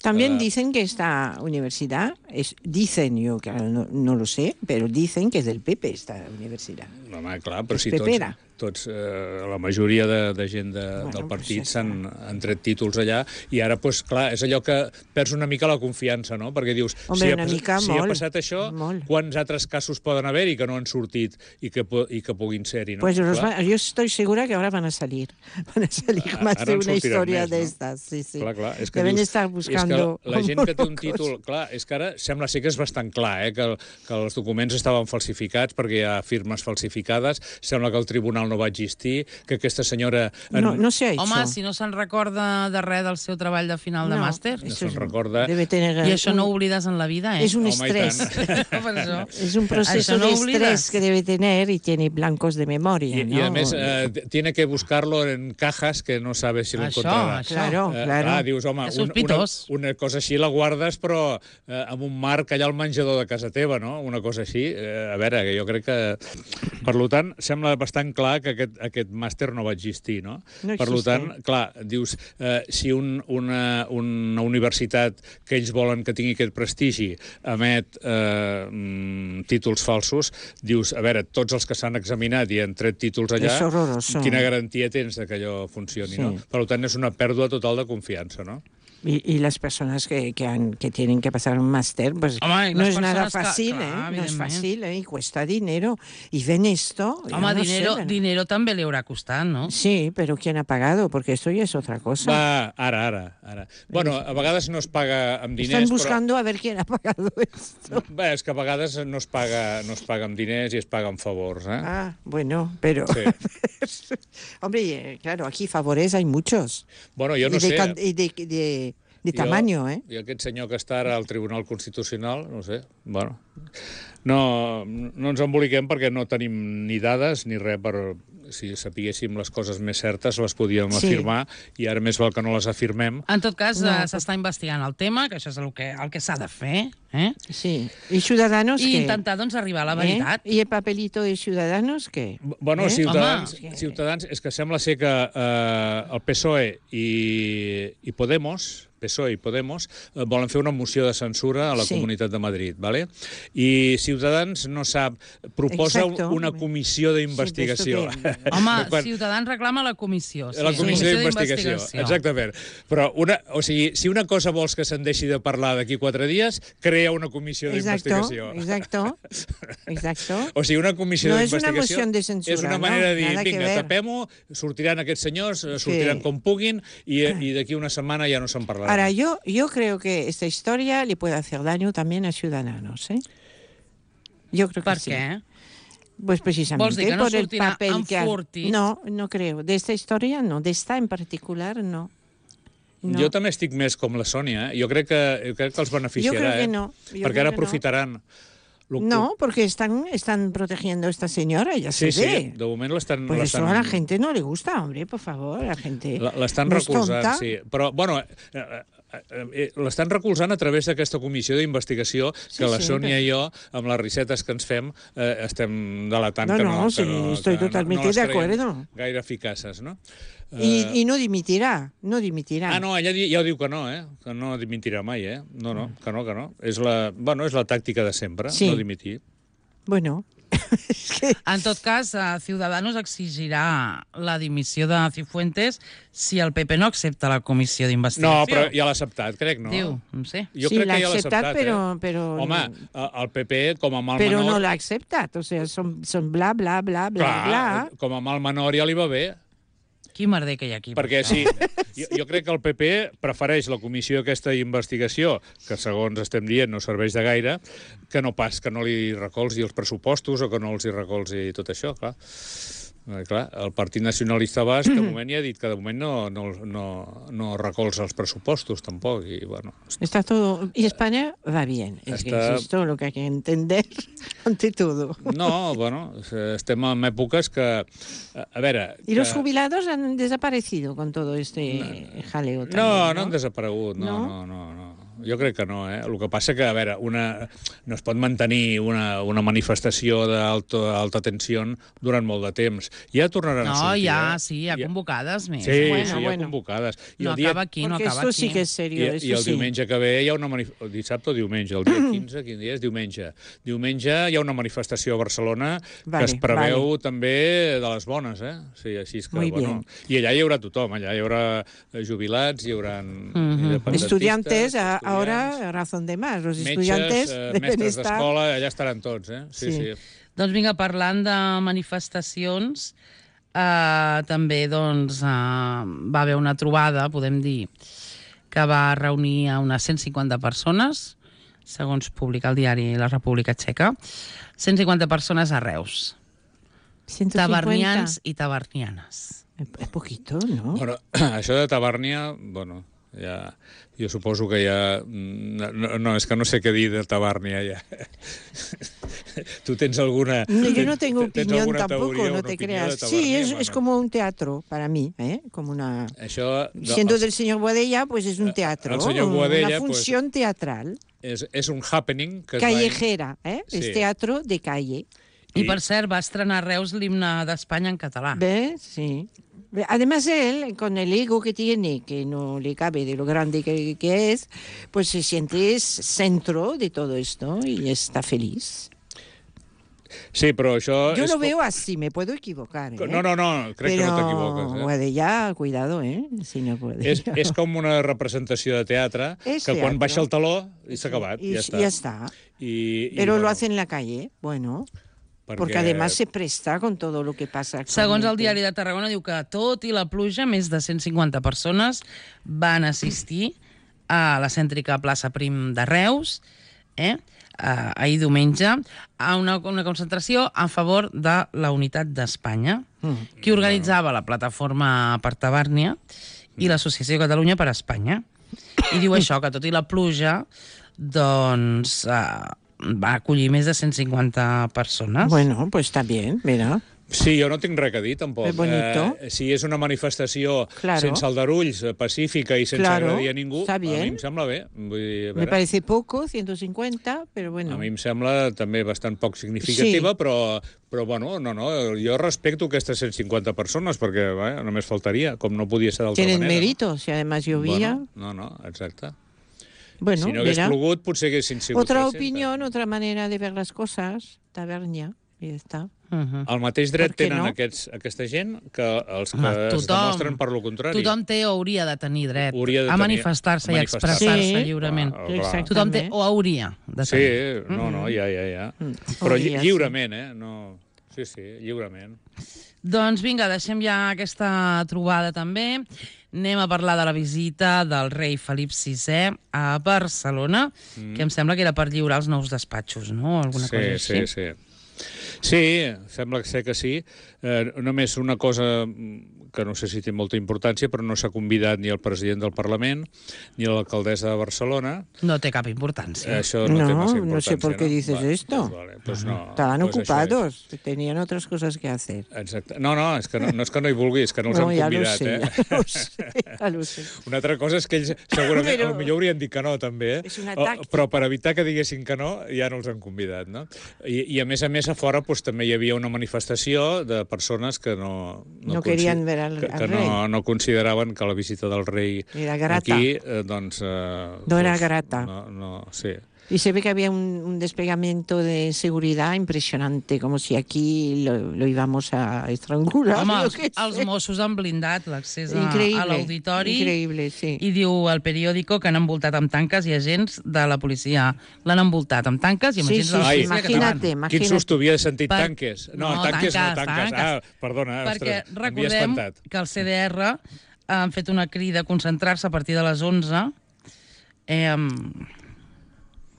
También Ah. dicen que esta universidad, es, dicen, yo claro, no, no lo sé, pero dicen que es del P P esta universidad. Home, clar, però És si tots, pepera. tots eh, la majoria de, de gent de, Bueno, del partit pues s'han han tret títols allà, i ara, pues, clar, és allò que perds una mica la confiança, no? Perquè dius, Hombre, si, ha, una pas- mica, si ha molt, passat això, molt. quants altres casos poden haver-hi que no han sortit i que, po- i que puguin ser-hi, no? Pues los Clar. va- yo estoy segura que ahora van a salir. Van a salir Ah, más ara de en una sortiran historia més, de no? estas. Sí, sí. Clar, clar, és que Deben dius, estar buscando. És que la, la gent que té un locos. títol... Clar, és que ara sembla ser que és bastant clar, eh, que, el, que els documents estaven falsificats perquè hi ha firmes falsificades, sembla que el tribunal no va existir, que aquesta senyora... En, No, no se ha hecho. Home, si no se'n recorda de res del seu treball de final de No, màster, no eso se'n es- recorda. Debe tener i això un- no ho oblides en la vida, eh? Es un Home, i estrés. tant. Per això. Es un proceso Això no de oblides. estrés que debe tener y tiene blancos de memoria, I, ¿no? I a més, eh, tiene que buscarlo en cajas que no sabe si lo Això, encontrarà. això. Claro, Eh, claro. clar, dius, home, És un, una, sospitós. una cosa així la guardes, però eh, amb un marc allà al menjador de casa teva, no? Una cosa així. Eh, a veure, que jo crec que... Per lo tant, sembla bastant clar que aquest, aquest màster no va existir, no? No per lo existe. tant, clar, dius, eh, si un, una, una universitat que ells volen que tingui aquest prestigi emet eh, mm, títols falsos, dius, a veure, tots els que s'han examinat i han tret títols allà, És horroroso. quina garantia tens de que allò funcioni, Sí. no? Per tant, és una pèrdua total de confiança, no? Y, y las personas que, que, han, que tienen que pasar un máster, pues Home, i no les es nada persones que- fácil, clar, ¿eh? No es evidentment. fácil, ¿eh? Y cuesta dinero. Y ven esto... yo Home, no dinero, sé, dinero també li haurà costat, no? Sí, pero ¿quién ha pagado? Porque esto ya es otra cosa. Va, ara, ara, ara. Bueno, a vegades no es paga amb diners, Están buscando a ver quién ha pagado esto. però... Bé, és que a vegades no es paga, no es paga amb diners i es paga amb favors, eh? Ah, bueno, pero... Sí. Hombre, eh, claro, aquí favores hay muchos. Bueno, jo no y de, sé... can- y de, de, de Jo- tamaño, ¿eh? I aquest senyor que està ara al Tribunal Constitucional, no sé, bueno... No, no ens emboliquem perquè no tenim ni dades ni res per... Si sapiguéssim les coses més certes les podíem Sí. afirmar, i ara més val que no les afirmem. En tot cas, No, no, però- s'està investigant el tema, que això és el que, el que s'ha de fer, eh? Sí. ¿Y Ciudadanos I qué? intentar, doncs, arribar a la ¿Eh? veritat. ¿Y el papelito de Ciudadanos qué? Bueno, Eh? Ciutadans, Home. Ciutadans, és que sembla ser que eh, el P S O E i, i Podemos, P S O E i Podemos, eh, volen fer una moció de censura a la Sí. Comunitat de Madrid, ¿vale? I Ciutadans no sap, proposa Exacto. una comissió d'investigació. Sí, però Home, Quan- Ciutadans reclama la comissió. Sí. La comissió Sí. d'investigació, exactament. Però, una, o sigui, si una cosa vols que se'n deixi de parlar d'aquí quatre dies, crea una comissió Exacto, d'investigació. exacto, exacto. O sigui, una comissió No és una d'investigació moció de censura, és una no? manera de dir, Nada que vinga, ver. tapem-ho, sortiran aquests senyors, eh, sortiran com puguin, i, i d'aquí una setmana ja no se'n parlarà. Ahora, yo, yo creo que esta historia le puede hacer daño también a Ciudadanos, ¿eh? Yo creo que Per sí. què? Pues precisamente Vols dir que no por el sortirà papel que ha... enfortit? No, no creo. De esta historia no, de esta en particular no. No. Jo també estic més com la Sònia, eh? Jo crec que, jo crec que els beneficiarà, Jo crec que eh? no. Jo Perquè crec ara que no. aprofitaran. Lo- No, porque están, están protegiendo a esta señora, ya Sí, se sí, ve. de moment l'estan... Pues eso l'estan- a la gente no le gusta, hombre, por favor, a la gente La- L'estan no és recolzant, tonta. sí. Però, bueno, eh, eh, eh, eh, l'estan recolzant a través d'aquesta comissió d'investigació que Sí, la sí, Sònia però- i jo, amb les risetes que ens fem, eh, estem delatant No, que no, no, sí, que no, estoy que totalmente no les de creiem acuerdo. gaire eficaces, no? Y, Eh, y no dimitirá, no dimitirá. Ah, no, ella di- ja ho diu que no, eh? Que no dimitirà mai, eh? No, no, que no, que no. És la, bueno, és la tàctica de sempre, Sí. no dimitir. Bueno, es que... En tot cas, eh, Ciudadanos exigirà la dimissió de Cifuentes si el P P no accepta la comissió d'investigació. No, però ja l'ha acceptat, crec, no? Diu, no sé. Jo Sí, crec l'ha que ja l'ha acceptat, acceptat, però- eh? però- Home, eh, el P P, com a mal Pero menor... no la aceptat, o sea, son, son bla, bla, bla, bla, Clar, bla. com a mal menor ja li va bé. Quin merder que hi ha aquí. per Perquè això. sí, jo, jo crec que el P P prefereix la comissió aquesta d'investigació, que segons estem dient no serveix de gaire, que no pas que no li recolzi els pressupostos o que no els hi recolzi tot això, clar. Eh, clar, el Partit Nacionalista Basc, de moment ja ha dit que de moment no, no, no, no recolza els pressupostos, tampoc, i bueno... Está todo... Y España va bien, es que Está- eso es todo lo que hay que entender ante todo. No, bueno, estem en èpoques que... A veure... Y los que... jubilados han desaparecido con todo este jaleo también, No, ¿no? no han desaparegut, no, No? no, no, no. jo crec que no, eh? El que passa que, a veure, una, no es pot mantenir una, una manifestació d'alta alta tensió durant molt de temps. Ja tornaran no, a sortir, ja, eh? sí, hi ha convocades més. Sí, Bueno, sí, hi ha bueno. convocades. I No el dia... acaba aquí, no Porque acaba esto aquí. sí que es serio, I, eso I el sí. diumenge que ve hi ha una manifestació... Dissabte o diumenge? El dia quinze, quin dia és? Diumenge. Diumenge hi ha una manifestació a Barcelona Vale, que es preveu vale. també de les bones, eh? Sí, així és que, Muy bueno... bien. I allà hi haurà tothom, allà hi haurà jubilats, hi haurà independentistes... Estudiantes, a- estudiants, ahora razón de más. Los metges, estudiantes eh, deben mestres estar... d'escola, allà estaran tots, eh? Sí, Sí. sí. Doncs vinga, parlant de manifestacions, eh, també doncs, eh, va haver una trobada, podem dir, que va reunir a unes cent cinquanta persones, segons publica el diari La República Txeca, cent cinquanta persones a Reus, ciento cincuenta. tavernians i tavernianes. Es poquito, ¿no? Bueno, això de Tabàrnia, bueno, ja, jo suposo que ja... No, no, és que no sé què dir de Tabàrnia, ja. Tu tens alguna... No, yo no tengo tens opinión alguna tampoco, teoria, no una te opinió creas. de Tabàrnia? Sí, es, Bueno, es como un teatro para mí, ¿eh? Como una... Això... Siendo del señor Boadella, pues es un teatro, el señor Boadella, una función pues, teatral, és, és un happening que es callejera, ¿eh? Sí. Es teatro de calle. I, per cert, va estrenar a Reus l'himne d'Espanya en català. ¿Ves? Sí. Además él, con el ego que tiene, que no le cabe de lo grande que, que es, pues se siente es centro de todo esto y está feliz. Sí, però això... Yo és lo com- veo así, me puedo equivocar, ¿eh? No, no, no, crec Pero que no t'equivoques. Eh? Boadella, cuidado, ¿eh? Si no puede. És, és com una representació de teatre És que quan teatre. baixa el taló i s'ha acabat, Y ja està. ya está. I, i, Pero bueno, lo hace en la calle, bueno, porque perquè- además se presta con todo lo que pasa. Segons el actualmente. diari de Tarragona, diu que tot i la pluja, més de cent cinquanta persones van assistir a la cèntrica plaça Prim de Reus, eh? Uh, ahir diumenge, a una, una concentració a favor de la unitat d'Espanya. Mm. Qui organitzava la plataforma per Tabàrnia i l'Associació Catalunya per Espanya. I diu això, que tot i la pluja, doncs uh, va acollir més de cent cinquanta persones. Bueno, pues está bien, mira. Sí, jo no tinc res a dir, tampoc. És bonito. Eh, si és una manifestació Claro. sense aldarulls, eh, pacífica i sense Claro, agredir a ningú, està a bien. mi em sembla bé. Vull dir, a Me veure, parece poco, ciento cincuenta, pero bueno. a mi em sembla també bastant poc significativa, Sí. però, però bueno, no, no, jo respecto aquestes cent cinquanta persones, perquè vaja, només faltaria, com no podia ser d'altra Tienen manera. mérito, si además llovía. Bueno, no, no, exacte. Bueno, si no hagués mira. plogut, potser haguessin sigut Otra trescentes. opinión, otra manera de ver las cosas. Tavernia, y ya está. Uh-huh. El mateix dret Per què tenen no? aquests, aquesta gent que els que Home, es tothom- demostren per lo contrari. Tothom té o hauria de tenir dret Hauria de a tenir- manifestar-se a i a manifestar-se. expressar-se Sí. lliurement. Clar, clar. Exacte. Tothom té També. o hauria de Sí, tenir. no, no, ja, ja, ja. Mm. Però Hauria, lli lliurement, eh? No... Sí, sí, lliurement. Doncs vinga, deixem ja aquesta trobada també. Anem a parlar de la visita del rei Felip sisè a Barcelona, mm. que em sembla que era per lliurar els nous despatxos, no? Alguna Sí, cosa sí, així. sí. Sí, sembla ser que sí. Eh, només una cosa que no sé si té molta importància, però no s'ha convidat ni el president del Parlament ni l'alcaldessa de Barcelona. No té cap importància. Això no, No, té massa no importància. sé por qué dices Vale, esto. Pues vale, pues no, Estaban pues això ocupados, tenían otras cosas que hacer. És. Exacte. No, no, és que no, no és que no hi vulgui, és que no els No, han ja lo convidat. sé, eh? ja lo sé, ja lo sé. Una altra cosa és que ells segurament Però- potser haurien dit que no, també, eh? És una O- tàctica. però per evitar que diguessin que no, ja no els han convidat, no? I, i a més a més, a fora doncs, també hi havia una manifestació de persones que no... No querien ver al- que, al que rei. no, no consideraven que la visita del rei Era grata. aquí, eh, doncs... Eh, No era fos- grata. No, no, sí. Y se ve que había un, un desplegamiento de seguridad impresionante, como si aquí lo, lo íbamos a estrangular. Home, yo els, qué els sé. Mossos han blindat l'accés a, Increïble, a l'auditori. increïble, sí. I diu el periòdico que han envoltat amb tanques i agents de la policia. L'han envoltat amb tanques i amb Sí, agents sí, de la sí, policia imagínate, catalana. Quin imagínate. susto, havia sentit Per- tanques. No, No, tanques, no, tanques, tanques. tanques. Ah, perdona, Perquè ostres, m'havia recordem espantat. que el C D R han fet una crida a concentrar-se a partir de les onze. Eh,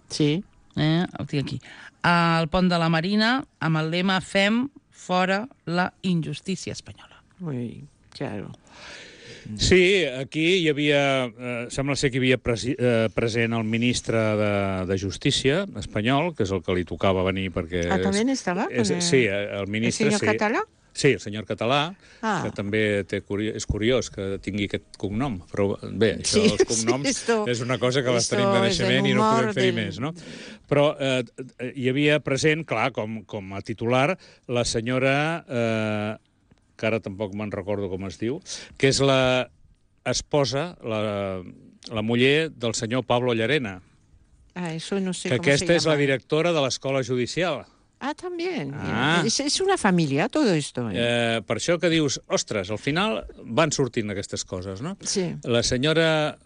Sí. eh, ho tinc aquí. Al pont de la Marina, amb el lema Fem fora la injustícia espanyola. Muy claro. Sí, aquí hi havia... Eh, sembla ser que hi havia presi, eh, present el ministre de, de Justícia espanyol, que és el que li tocava venir perquè... Ah, ¿también estaba? És, con el- sí, el ministre... el señor sí. Català? Sí, el senyor Català, Ah. que també té curi és curiós que tingui aquest cognom, però bé, això, Sí, els cognoms, sí, esto- és una cosa que les esto tenim de és el naixement i no humor podem fer-hi del- més, no? Però eh, hi havia present, clar, com, com a titular, la senyora, eh, que ara tampoc me'n recordo com es diu, que és la esposa, la, la muller del senyor Pablo Llarena, Ah, eso no sé que cómo se aquesta és la llama. directora de l'Escola Judicial. Ah, también. Ah. Es, es una familia todo esto. ¿eh? Eh, per això que dius, ostres, al final van sortint aquestes coses, no? Sí. La senyora...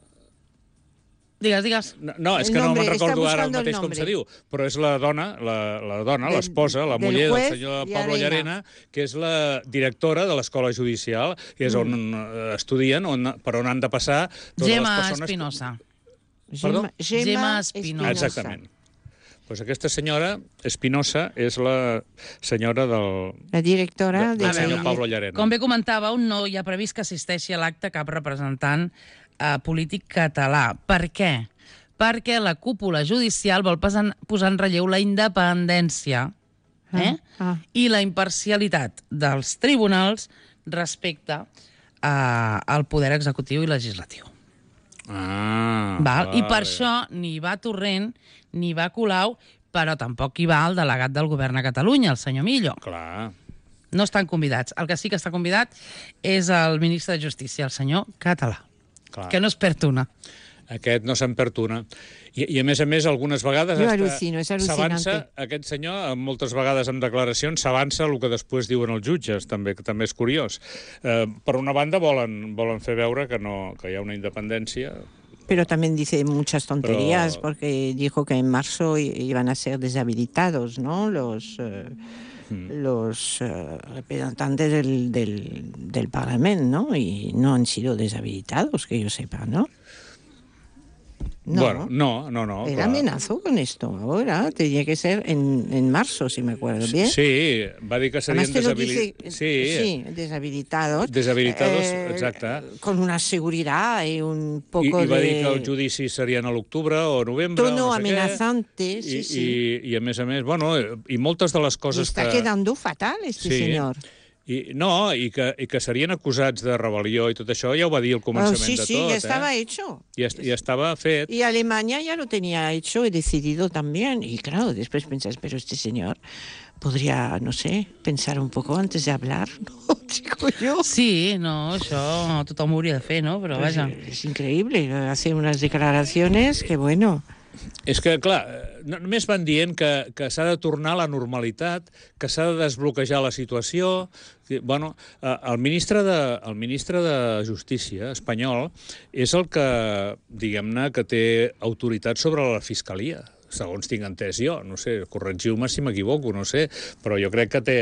Digues, digues. No, no és El que no nombre, me'n està recordo ara el buscando el mateix com nombre. se diu, però és la dona, la, la dona, Del- l'esposa, la del muller del juez senyor Pablo Llarena. Llarena, que és la directora de l'Escola Judicial, que és on eh, estudien, on, per on han de passar totes Gemma les persones... Espinosa. Perdó? Gemma, Gemma Espinosa. Exactament. Pues aquesta senyora, Espinosa, és la senyora del, La directora del de A senyor veure, Pablo Llarena. Com bé comentàveu, no hi ha previst que assisteixi a l'acte cap representant eh, polític català. Per què? Perquè la cúpula judicial vol posar, posar en relleu la independència eh? Ah, ah. i la imparcialitat dels tribunals respecte eh, al poder executiu i legislatiu. Ah, Val? I per vale. això ni va Torrent ni va Colau, però tampoc hi va el delegat del govern a Catalunya, el senyor Millo. Clar. No estan convidats. El que sí que està convidat és el ministre de Justícia, el senyor Català, Clar. que no es perd una. Aquest no se'n perd una. I, I, a més a més, algunes vegades... Jo hasta al·lucino, és al·lucinante. s'avança, aquest senyor, moltes vegades en declaracions, s'avança el que després diuen els jutges, també, que també és curiós. Eh, per una banda, volen, volen fer veure que, no, que hi ha una independència... Pero también dice muchas tonterías, Pero- porque dijo que en marzo i- iban a ser deshabilitados, ¿no? Los, eh, los eh, representantes del, del, del Parlamento, ¿no? Y no han sido deshabilitados, que yo sepa, ¿no? No, Bueno, no, no, no. Él clar. amenazó con esto ahora, tenía que ser en, en marzo, si me acuerdo bien. Sí, va dir que serien Además te lo deshabilitados. dice, sí, deshabilitados. Deshabilitados, eh, exacte. Con una seguridad y un I, poco I va de... dir que els judicis serien a l'octubre o novembre, tono o no sé amenazante, què. sí, I, sí. I, I, a més a més, bueno, i moltes de les Y coses está que... quedando fatal este Sí. señor. I, no, i que, i que serien acusats de rebel·lió i tot això, ja ho va dir al Oh, començament sí, de sí, tot. ya estaba eh? hecho. Ja, est- ja estava fet. Y Alemania ya lo tenía hecho y decidido también. Y claro, después pensás, pero este señor podría, no sé, pensar un poco antes de hablar, ¿no? Digo yo. Sí, no, això tothom ho hauria de fer, no? Però Pues, vaja. eh, es increíble, hace unas declaraciones que bueno. És que, clar, eh, no- només van dient que, que s'ha de tornar a la normalitat, que s'ha de desbloquejar la situació. Que, bueno, eh, el ministre de, el ministre de Justícia espanyol és el que, diguem-ne, que té autoritat sobre la Fiscalia, segons tinc entès jo. No sé, corregiu-me si m'equivoco, no sé, però jo crec que té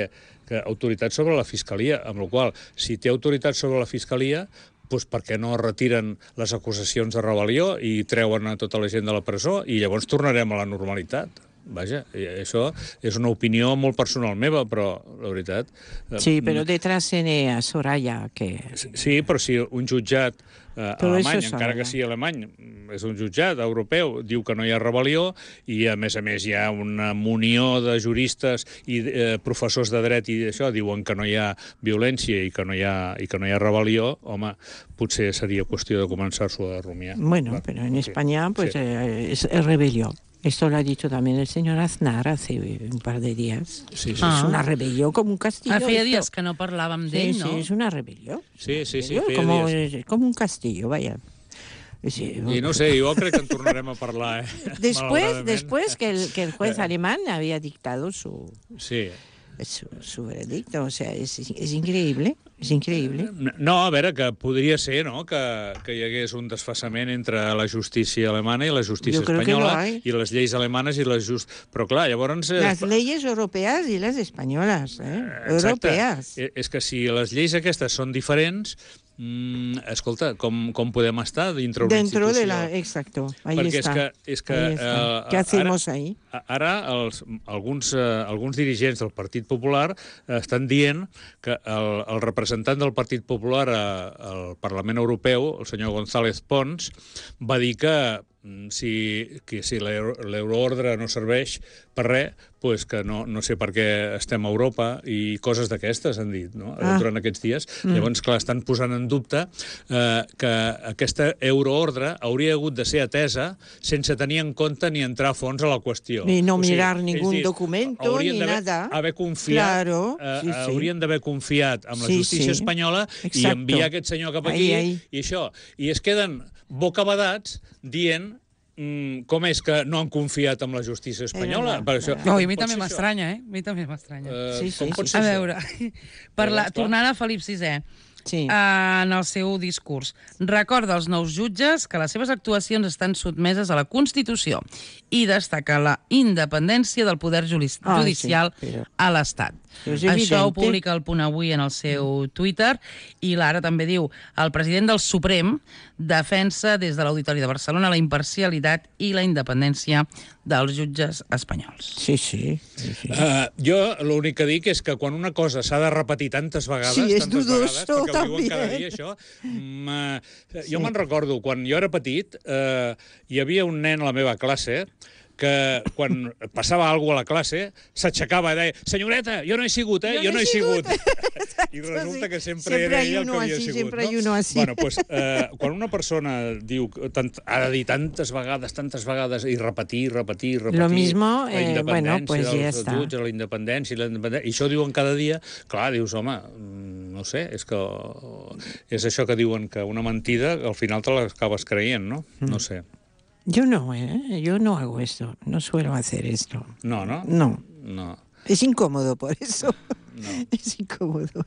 que, autoritat sobre la Fiscalia, amb la qual cosa, si té autoritat sobre la Fiscalia, doncs per què no retiren les acusacions de rebel·lió i treuen a tota la gent de la presó i llavors tornarem a la normalitat. Vaja, i això és una opinió molt personal meva, però la veritat... eh, Sí, pero detrás tiene a Soraya, que... Sí, però si un jutjat eh, Però alemany, això és encara que Soraya. sigui alemany, és un jutjat europeu, diu que no hi ha rebel·lió i, a més a més, hi ha una munió de juristes i eh, professors de dret i això diuen que no hi ha violència i que no hi ha, i que no hi ha rebel·lió, home, potser seria qüestió de començar-s'ho a rumiar. Bueno, Clar. pero en Sí, España pues sí. eh, es, es rebelión. Esto lo ha dicho también el señor Aznar hace un par de días. Sí, sí. Ah. Es una rebelión como un castillo. Ah, feia esto. dies que no parlàvem Sí, d'ell, sí, no? es una rebelión. Sí, sí, sí, Rebelión, feia como, dies. es como un castillo, vaya. Sí, I no sé, jo crec que en tornarem a parlar, eh? Después, Malauradament. después que el, que el juez alemán había dictado su, Sí. su, su veredicto, o sea, es, es increíble, es increíble. No, a veure, que podria ser, no?, que, que hi hagués un desfasament entre la justícia alemana i la justícia Jo crec que espanyola lo hay. i les lleis alemanes i les just... Però, clar, llavors... eh, Las leyes europeas y las españolas, ¿eh? Exacte. Europeas. Eh, És que si les lleis aquestes són diferents, mm, escolta, com, com podem estar dintre una Dentro de institució? la... Exacto, ahí Perquè está. és que... És que Ahí está. eh, ¿Qué hacemos ara, ahí? Ara els, alguns, eh, alguns dirigents del Partit Popular eh, estan dient que el, el representant del Partit Popular eh, al Parlament Europeu, el senyor González Pons, va dir que si, que si l'euro- l'euroordre no serveix per res, pues que no, no sé per què estem a Europa i coses d'aquestes, han dit, no? Ah. Durant aquests dies. Mm. Llavors, clar, estan posant en dubte eh, que aquesta euroordre hauria hagut de ser atesa sense tenir en compte ni entrar a fons a la qüestió. Ni no O sigui, mirar és ningún dir, documento, haurien ni d'haver- nada. haver confiat, Claro, eh, sí, sí. haurien d'haver confiat en la Sí, justícia sí. espanyola Exacto. i enviar aquest senyor cap aquí Ahí, ahí. i això. I es queden bocabadats dient mm, com és que no han confiat en la justícia espanyola. verdad, Per això, verdad. No, i a com mi pot també ser això? m'estranya, eh? A mi també m'estranya. Eh, Sí, sí, com sí. pot ser A això? veure, per la, Llavors, clar. tornant a Felip sisè, Sí. en el seu discurs, recorda als nous jutges que les seves actuacions estan sotmeses a la Constitució i destaca la independència del poder judi- Ah, judicial sí, però- a l'Estat. Però és Això ho evidente. publica el Punt Avui en el seu Twitter i l'Ara també diu el president del Suprem defensa des de l'Auditori de Barcelona la imparcialitat i la independència dels jutges espanyols. Sí, sí. sí, sí. Uh, jo l'únic que dic és que quan una cosa s'ha de repetir tantes vegades, Sí, és tantes dudoso, vegades, perquè ho diuen cada també. dia, això, mm, uh, jo me'n recordo, quan jo era petit, uh, hi havia un nen a la meva classe que quan passava alguna cosa a la classe s'aixecava i deia, senyoreta, jo no he sigut, eh? Jo, jo no he sigut. I resulta que sempre, Sempre era hay ell el uno que havia así, sigut. siempre no? hay uno así. Bueno, pues, eh, quan una persona diu, tant, ha de dir tantes vegades, tantes vegades, i repetir, repetir, repetir... Lo mismo, la eh, bueno, independència pues ya dels está. jutges, la independència, la independència... I això ho diuen cada dia. Clar, dius, home, mm, no sé, és que és això que diuen que una mentida al final te l'acabes creient, no? No sé. Yo no, ¿eh? Yo no hago esto. No suelo hacer esto. No, no? No. No. Es incómodo por eso. No. Es incómodo.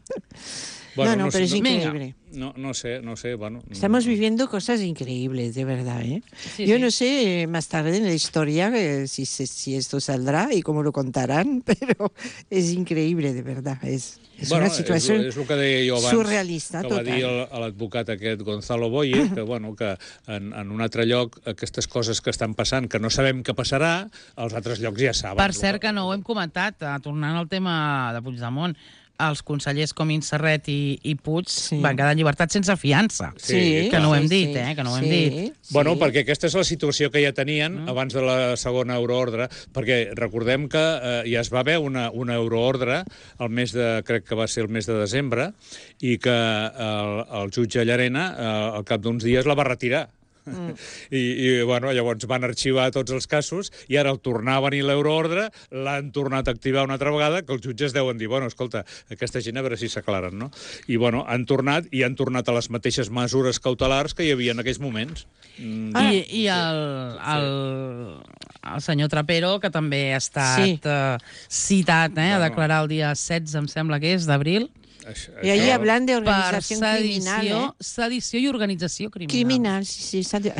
Bueno, no, no, no pero sé, es no- increíble. No, no sé, no sé, bueno... Estamos viviendo cosas increíbles, de verdad, ¿eh? Sí, Yo sí. no sé eh, más tarde en la historia eh, si, se- si esto saldrá y cómo lo contarán, pero es increíble, de verdad. Es, es bueno, una situación és, és el que deia jo abans, surrealista, que va total. dir el- a l'advocat aquest Gonzalo Boye, que, bueno, que en, en un altre lloc aquestes coses que estan passant, que no sabem què passarà, als altres llocs ja saben. Per cert, que no ho hem comentat, eh, tornant al tema de Puigdemont, els consellers Comín, Serret i, i Puig Sí. van quedar en llibertat sense fiança. Sí, que no ho hem sí, dit, sí. eh, que no ho hem Sí, dit. sí. Bueno, perquè aquesta és la situació que ja tenien mm. abans de la segona euroordre, perquè recordem que eh, ja es va haver una, una euroordre el mes de, crec que va ser el mes de desembre, i que el, el jutge Llarena eh, al cap d'uns dies la va retirar. Mm. I, i bueno, llavors van arxivar tots els casos i ara el tornar a venir l'euroordre, l'han tornat a activar una altra vegada, que els jutges deuen dir, bueno, escolta, aquesta gent a veure si s'aclaren, no? I bueno, han tornat i han tornat a les mateixes mesures cautelars que hi havia en aquells moments. Mm, I, i el, el, el senyor Trapero, que també ha estat Sí. eh, citat eh, a Bueno. declarar el dia setze, em sembla que és, d'abril, això, Y ahí això- hablan de per organización criminal, sedició, ¿eh? sedició i organització criminal. Criminal, sí, sí. Está... Eh?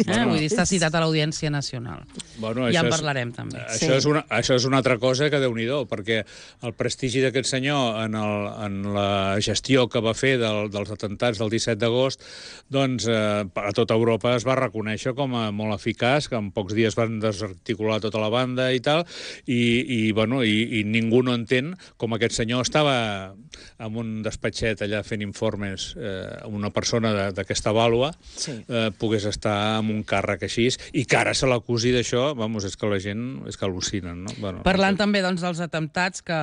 Bueno. Vull dir, està citat a l'Audiència Nacional. Bueno, Ja això en és- parlarem, també. Això, Sí. és una, això és una altra cosa que Déu-n'hi-do, perquè el prestigi d'aquest senyor en, el, en la gestió que va fer del, dels atentats del disset d'agost, doncs eh, a tota Europa es va reconèixer com a molt eficaç, que en pocs dies van desarticular tota la banda i tal, i, i, bueno, i, i ningú no entén com aquest senyor estava en un despatxet allà fent informes, eh, una persona de- d'aquesta vàlua Sí. eh, pogués estar amb un càrrec així, i que ara se l'acusi d'això, vamos, és que la gent és que al·lucinen, no? Bueno, Parlant no sé. també doncs, dels atemptats, que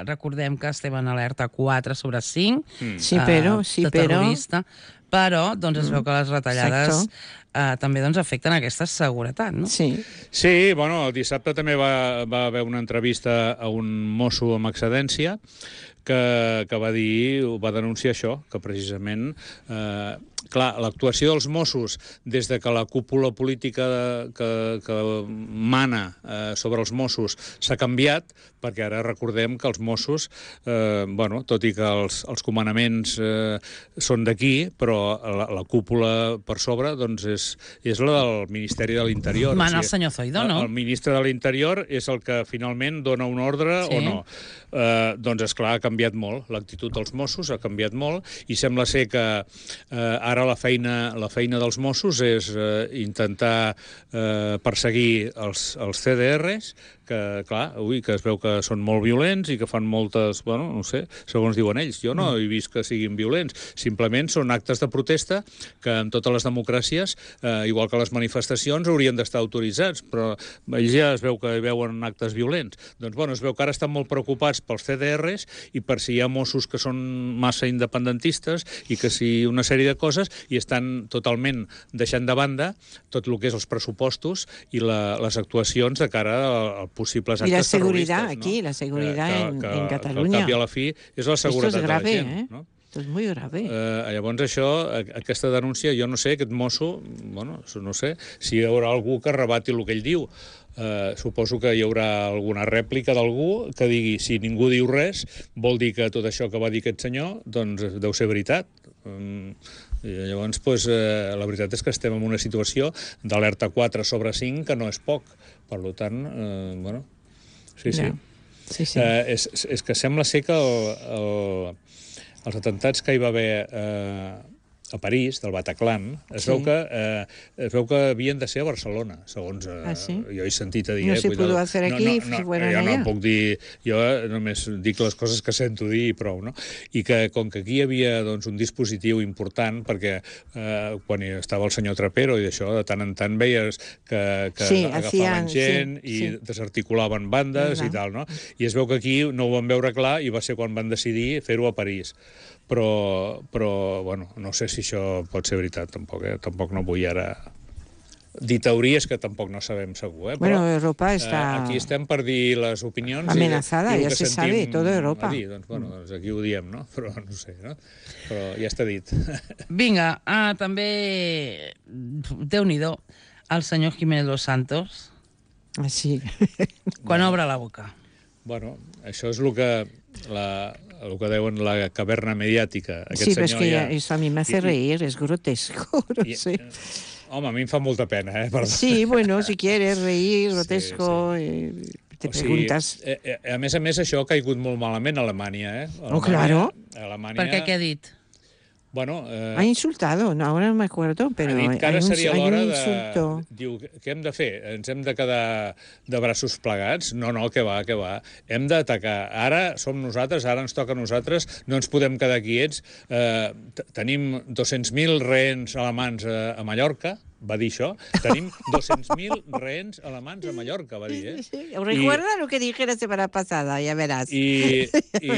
recordem que estem en alerta quatre sobre cinc, Mm. Sí, pero, eh, sí, de pero... terrorista, però doncs, es veu que les retallades Exacto. eh, també doncs, afecten aquesta seguretat, no? Sí. Sí, bueno, el dissabte també va, va haver una entrevista a un mosso amb excedència que, que va dir, va denunciar això, que precisament, eh, clar, l'actuació dels Mossos des de que la cúpula política de, que, que mana eh, sobre els Mossos s'ha canviat, perquè ara recordem que els Mossos, eh, bueno, tot i que els, els comandaments eh, són d'aquí, però la, la cúpula per sobre doncs és, és la del Ministeri de l'Interior. Mana el senyor Zoido, no? El ministre de l'Interior és el que finalment dona un ordre Sí. o no. Eh, doncs, esclar, ha canviat molt. L'actitud dels Mossos ha canviat molt i sembla ser que eh, ara la feina, la feina dels Mossos és eh, intentar eh, perseguir els, els C D Rs que, clar, ui, que es veu que són molt violents i que fan moltes, bueno, no sé, segons diuen ells. Jo no he vist que siguin violents. Simplement són actes de protesta que en totes les democràcies, eh, igual que les manifestacions, haurien d'estar autoritzats, però ells ja es veu que hi veuen actes violents. Doncs, bueno, es veu que ara estan molt preocupats pels C D Rs i per si hi ha Mossos que són massa independentistes i que si una sèrie de coses i estan totalment deixant de banda tot el que és els pressupostos i la, les actuacions de cara a, a possibles actes terroristes. I la seguretat, ¿no? aquí, la seguretat que, en, que, en Catalunya. Catalunya. Que al cap i a la fi és la seguretat Esto es grave, de la gent. Eh? No? Esto es muy grave. Eh, llavors això, aquesta denúncia, jo no sé, aquest mosso, bueno, no sé, si hi haurà algú que rebati el que ell diu. Uh, suposo que hi haurà alguna rèplica d'algú que digui, si ningú diu res, vol dir que tot això que va dir aquest senyor doncs deu ser veritat. Um, i llavors, pues, uh, la veritat és que estem en una situació d'alerta quatre sobre cinc que no és poc. Per tant, uh, bueno, sí, sí. Yeah. Sí, sí. Uh, és, és que sembla ser que el, el, els atentats que hi va haver uh, a París, del Bataclan, es, sí. veu que, eh, es veu que havien de ser a Barcelona, segons eh, ah, sí? jo he sentit a dir. No eh, se pudo hacer aquí, no, no, no, fueron jo allá. no puc dir, jo només dic les coses que sento dir i prou, no? I que com que aquí hi havia doncs, un dispositiu important, perquè eh, quan hi estava el senyor Trapero i d'això, de tant en tant veies que, que sí, agafaven hacían, gent sí, i sí. desarticulaven bandes i tal, no? I es veu que aquí no ho van veure clar i va ser quan van decidir fer-ho a París. Però, però, bueno, no sé si això pot ser veritat, tampoc, eh? Tampoc no vull ara dir teories que tampoc no sabem segur, eh? Però, bueno, Europa està... Eh, aquí estem per dir les opinions... Amenazada, i, i ja se sabe, tota Europa. Dir, doncs, bueno, doncs aquí ho diem, no? Però no sé, no? Però ja està dit. Vinga, ah, també... Déu-n'hi-do, el senyor Jiménez Los Santos. Ah, sí. Quan obre la boca. Bueno, això és el que... La, el que deuen la caverna mediàtica. Aquest sí, però és que ja... eso a mi me hace reír, es grotesco, no I, sé. Home, a mi em fa molta pena, eh? Perdó. Sí, bueno, si quieres reír, grotesco, sí, sí. Eh, te o preguntas... Sigui, eh, eh, a més a més, això ha caigut molt malament a Alemanya, eh? Alemanya, oh, claro. Alemanya... Per què, què ha dit? Bueno, eh, ha insultado, no, ahora no me acuerdo, pero ha dit que ara hay un, seria hay un l'hora insulto. de... Diu, què hem de fer? Ens hem de quedar de braços plegats? No, no, que va, que va. Hem d'atacar. Ara som nosaltres, ara ens toca a nosaltres, no ens podem quedar quiets. Eh, tenim dos-cents mil rehens alemans a, a Mallorca, va dir això. Tenim dos-cents mil rehens alemans a Mallorca, va dir, eh? Sí, recuerda I, lo que dije la semana pasada, ja veràs. I, i,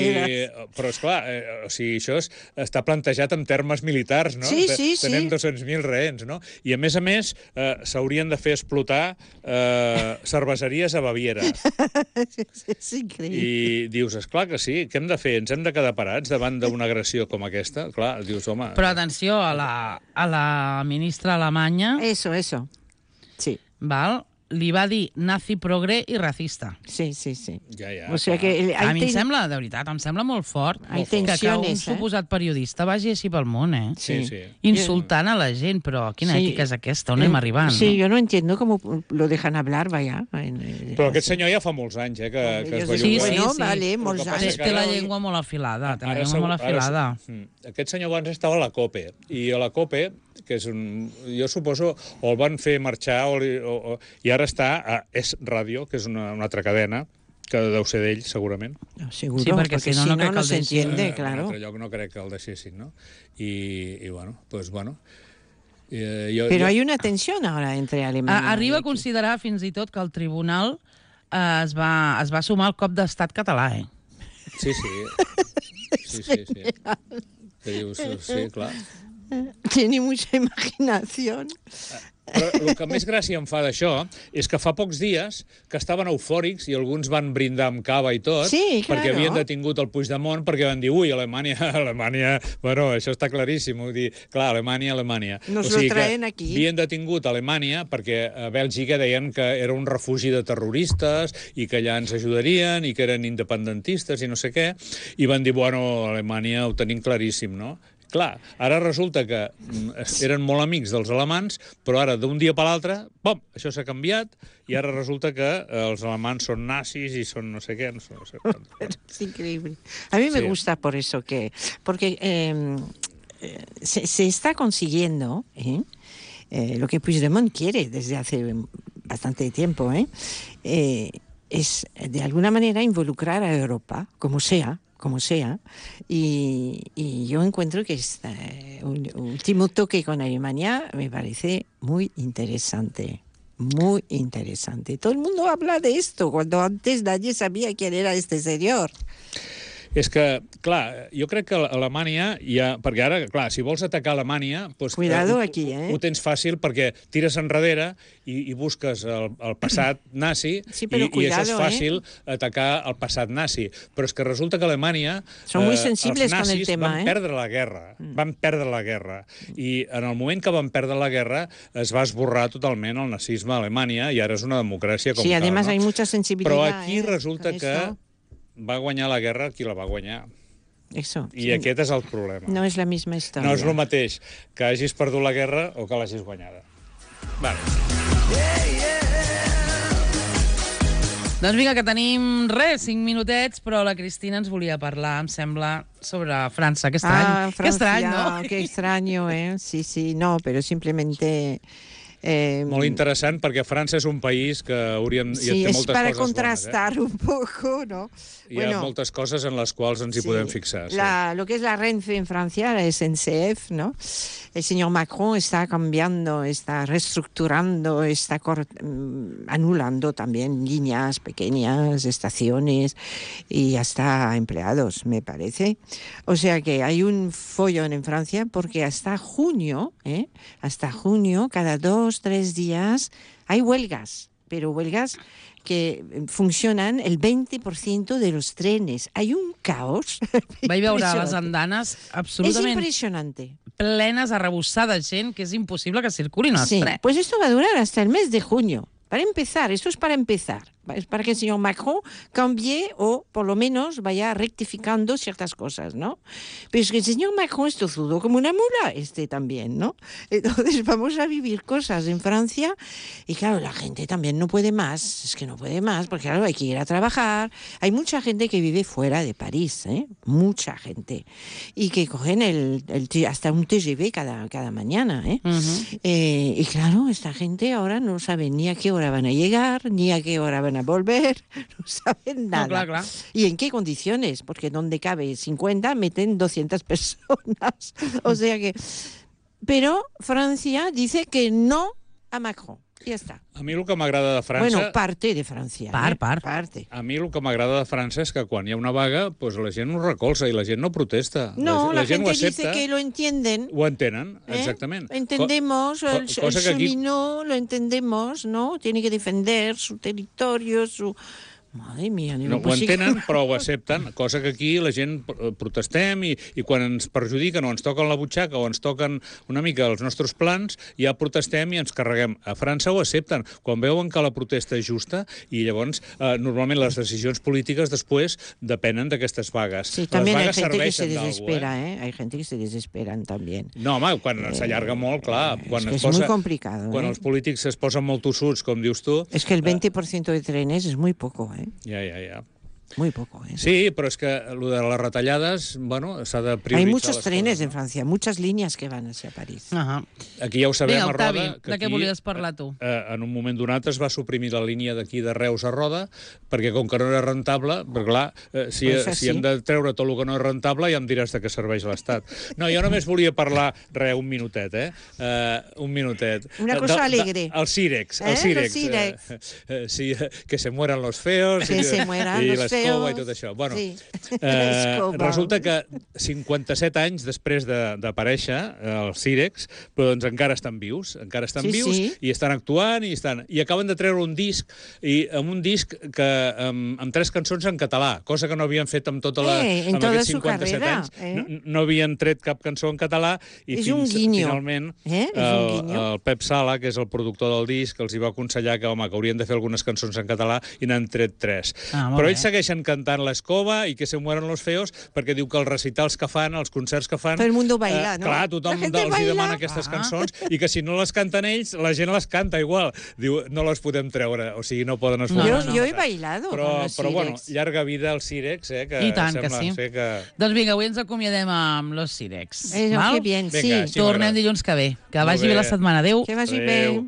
però, esclar, eh, o sigui, això és, està plantejat en termes militars, no? Sí, sí, sí. Tenem dos-cents mil rehens, no? I, a més a més, eh, s'haurien de fer explotar eh, cerveseries a Baviera. És increïble. I dius, esclar que sí, què hem de fer? Ens hem de quedar parats davant d'una agressió com aquesta? Clar, dius, home... Però atenció, a la, a la ministra alemanya... Eso, eso. Sí. Val? Li va dir nazi progre i racista. Sí, sí, sí. Ja, ja. O sea que el, a mi ten... em sembla, de veritat, em sembla molt fort hay que, que un eh? suposat periodista vagi així pel món, eh? Sí, sí. Insultant a la gent, però quina sí. ètica és aquesta? On anem arribant? Sí, no? yo no entiendo cómo lo dejan hablar, vaya. Però aquest senyor ja fa molts anys, eh, que, que es belluga. Sí, sí, bueno, sí. Vale, molts anys. Té, té la llengua molt afilada, té la Ara llengua molt afilada. Ara, aquest senyor abans estava a la COPE, i a la COPE, que és un... Jo suposo, o el van fer marxar, o, o, o, i ara està a Es Radio, que és una, una altra cadena, que deu ser d'ell, segurament. No, seguro, sí, perquè, perquè si no, si no, no, no, no se entiende, eh, claro. En un altre lloc no crec que el deixessin, no? I, i bueno, pues bueno... Eh, jo, Pero jo... hay una tensión ahora entre Alemania A, arriba y... a considerar fins i tot que el tribunal eh, es, va, es va sumar al cop d'estat català, eh? Sí, sí. Sí, sí, sí. Que dius, sí, clar. Tiene mucha imaginación. Però el que més gràcia em fa d'això és que fa pocs dies que estaven eufòrics i alguns van brindar amb cava i tot, sí, claro. perquè havien detingut el Puigdemont, perquè van dir, ui, Alemanya, Alemanya... Bueno, això està claríssim, vull dir, clar, Alemanya, Alemanya. Nos o sigui lo traen aquí. Havien detingut Alemanya perquè a Bèlgica deien que era un refugi de terroristes i que allà ens ajudarien i que eren independentistes i no sé què, i van dir, bueno, Alemanya ho tenim claríssim, no? Clar, ara resulta que eren molt amics dels alemans, però ara d'un dia per l'altre, pom, això s'ha canviat i ara resulta que els alemans són nazis y son no sé qué. No sé, no sé es increíble. A mí me sí. gusta por eso que... Porque eh, se, se está consiguiendo ¿eh? Eh, lo que Puigdemont quiere desde hace bastante tiempo, ¿eh? Eh, es de alguna manera involucrar a Europa, como sea, como sea, y, y yo encuentro que este un, último toque con Alemania me parece muy interesante. Muy interesante. Todo el mundo habla de esto, cuando antes nadie sabía quién era este señor. És que, clar, jo crec que Alemanya ja... Perquè ara, clar, si vols atacar Alemanya... Doncs, Cuidado eh, aquí, eh? Ho tens fàcil perquè tires enrere i, i busques el, el passat nazi sí, i, cuidado, i això és fàcil, eh? atacar el passat nazi. Però és que resulta que Alemanya... Són muy eh, sensibles els nazis con el tema, van eh? perdre la guerra. Mm. Van perdre la guerra. I en el moment que van perdre la guerra es va esborrar totalment el nazisme a Alemanya i ara és una democràcia com sí, tal. además no? hay mucha sensibilidad. Però aquí eh? resulta que va guanyar la guerra qui la va guanyar. Eso, I sí. aquest és el problema. No és la misma història. No és el mateix que hagis perdut la guerra o que l'hagis guanyada. Vale. Doncs vinga, que tenim, res, cinc minutets, però la Cristina ens volia parlar, em sembla, sobre França. Que estrany, ah, Francia, que estrany, ¿no? Qué extraño, ¿eh? Sí, sí, no, pero simplemente... Eh, Molt interessant, perquè França és un país que hauríem... Sí, té és moltes para coses contrastar bones, eh? un poco, ¿no? Hi ha bueno, moltes coses en les quals ens hi sí, podem fixar. Sí. La, lo que es la Renfe en Francia, la S N C F, ¿no? El señor Macron está cambiando, está reestructurando, está anulando también líneas pequeñas, estaciones y hasta empleados, me parece. O sea que hay un follón en Francia porque hasta junio, ¿eh? hasta junio, cada dos, tres días, hay huelgas, pero huelgas que funcionan el veinte por ciento de los trenes. Hay un caos. Vaig veure les andanes absolutament... Es impresionante. Plenes, arrebossades, gent, que és impossible que circulin els sí, trens. Pues esto va a durar hasta el mes de junio. Para empezar, esto es para empezar. Es para que el señor Macron cambie o, por lo menos, vaya rectificando ciertas cosas, ¿no? Pero es que el señor Macron es tozudo como una mula, este también, ¿no? Entonces vamos a vivir cosas en Francia y, claro, la gente también no puede más. Es que no puede más porque, claro, hay que ir a trabajar. Hay mucha gente que vive fuera de París, ¿eh? Mucha gente. Y que cogen el, el hasta un T G V cada, cada mañana, ¿eh? Uh-huh. eh? Y, claro, esta gente ahora no sabe ni a qué hora van a llegar, ni a qué hora van a volver, no saben nada. No, clar, clar. ¿Y en qué condiciones? Porque donde cabe cincuenta meten doscientas personas. O sea que... Pero Francia dice que no a Macron. Ja està. A mi el que m'agrada de França... Bueno, parte de Francia. Part, eh? part. Parte. A mi el que m'agrada de França és que quan hi ha una vaga, pues la gent ho recolza i la gent no protesta. No, la, la, la gent gente ho accepta, dice que lo entienden. Ho entenen, ¿eh? exactament. Entendemos, Co el, el cosa que aquí... cheminot lo entendemos, ¿no? Tiene que defender su territorio, su... Madre mía, ni no, lo ho entenen, però ho accepten, cosa que aquí la gent protestem i, i quan ens perjudiquen o ens toquen la butxaca o ens toquen una mica els nostres plans, ja protestem i ens carreguem. A França ho accepten, quan veuen que la protesta és justa i llavors eh, normalment les decisions polítiques després depenen d'aquestes vagues. Sí, també les hay vagues gente que se serveixen desespera, d'algú, eh? eh? Hay gente que se desesperan también. No, home, quan eh, s'allarga molt, clar. Quan es que es es posa, muy complicado. Quan eh? els polítics es posen molt tossuts, com dius tu... Es que el veinte por ciento de trenes es muy poco, ¿eh? Ja, ja, ja. Muy poco, ¿eh? Sí, però és que lo de les retallades, bueno, s'ha de prioritzar. Hay muchos trenes coses, no? en Francia, muchas líneas que van hacia París. Uh -huh. Aquí ja ho sabem, Vinga, a Octavi, Roda, que de què aquí, volies parlar tu? Eh, en un moment donat es va suprimir la línia d'aquí de Reus a Roda, perquè com que no era rentable, perquè clar, eh, si, Pues si hem de treure tot el que no és rentable, ja em diràs de què serveix l'Estat. No, jo només volia parlar, res, un minutet, eh? Uh, un minutet. Una cosa de, alegre. De, el Cirex, Eh? el Cirex. Los Cirex. Eh, eh, sí, que se mueran los feos. Que i, se mueran i los l'escova feos. i tot això. Bueno, sí. eh, resulta que cinquanta-set anys després d'aparèixer els Cirex, però doncs encara estan vius, encara estan Sí, vius sí. i estan actuant i estan i acaben de treure un disc i amb un disc que amb, amb tres cançons en català, cosa que no havien fet amb tota la Eh, en amb toda aquests su cinquanta-set carrera, anys, eh? no, no havien tret cap cançó en català i És fins un guinyo. finalment Eh? És un el, guinyo. el Pep Sala, que és el productor del disc, els hi va aconsellar que, home, que haurien de fer algunes cançons en català i n'han tret tres. Ah, molt Però bé. ells segueixen cantant l'Escova i que se mueren los feos perquè diu que els recitals que fan, els concerts que fan... Todo el mundo baila, ¿no? Clar, tothom La gente els hi baila. demana aquestes Ah. cançons i que si no les canten ells, la gent les canta igual. Diu, no les podem treure, o sigui, no poden esforçar. Yo, No, no, yo he no. bailado Però, con los però bueno, Cirex. llarga vida al Cirex, eh, que I tant que sembla sí. ser que... Doncs vinga, avui ens acomiadem amb los Cirex. Eh, val? qué bien, Vinga, sí. així Tornem m'agrada. dilluns que ve. Que Molt vagi bé bé. la setmana. Adéu. Que vagi Adéu. bé.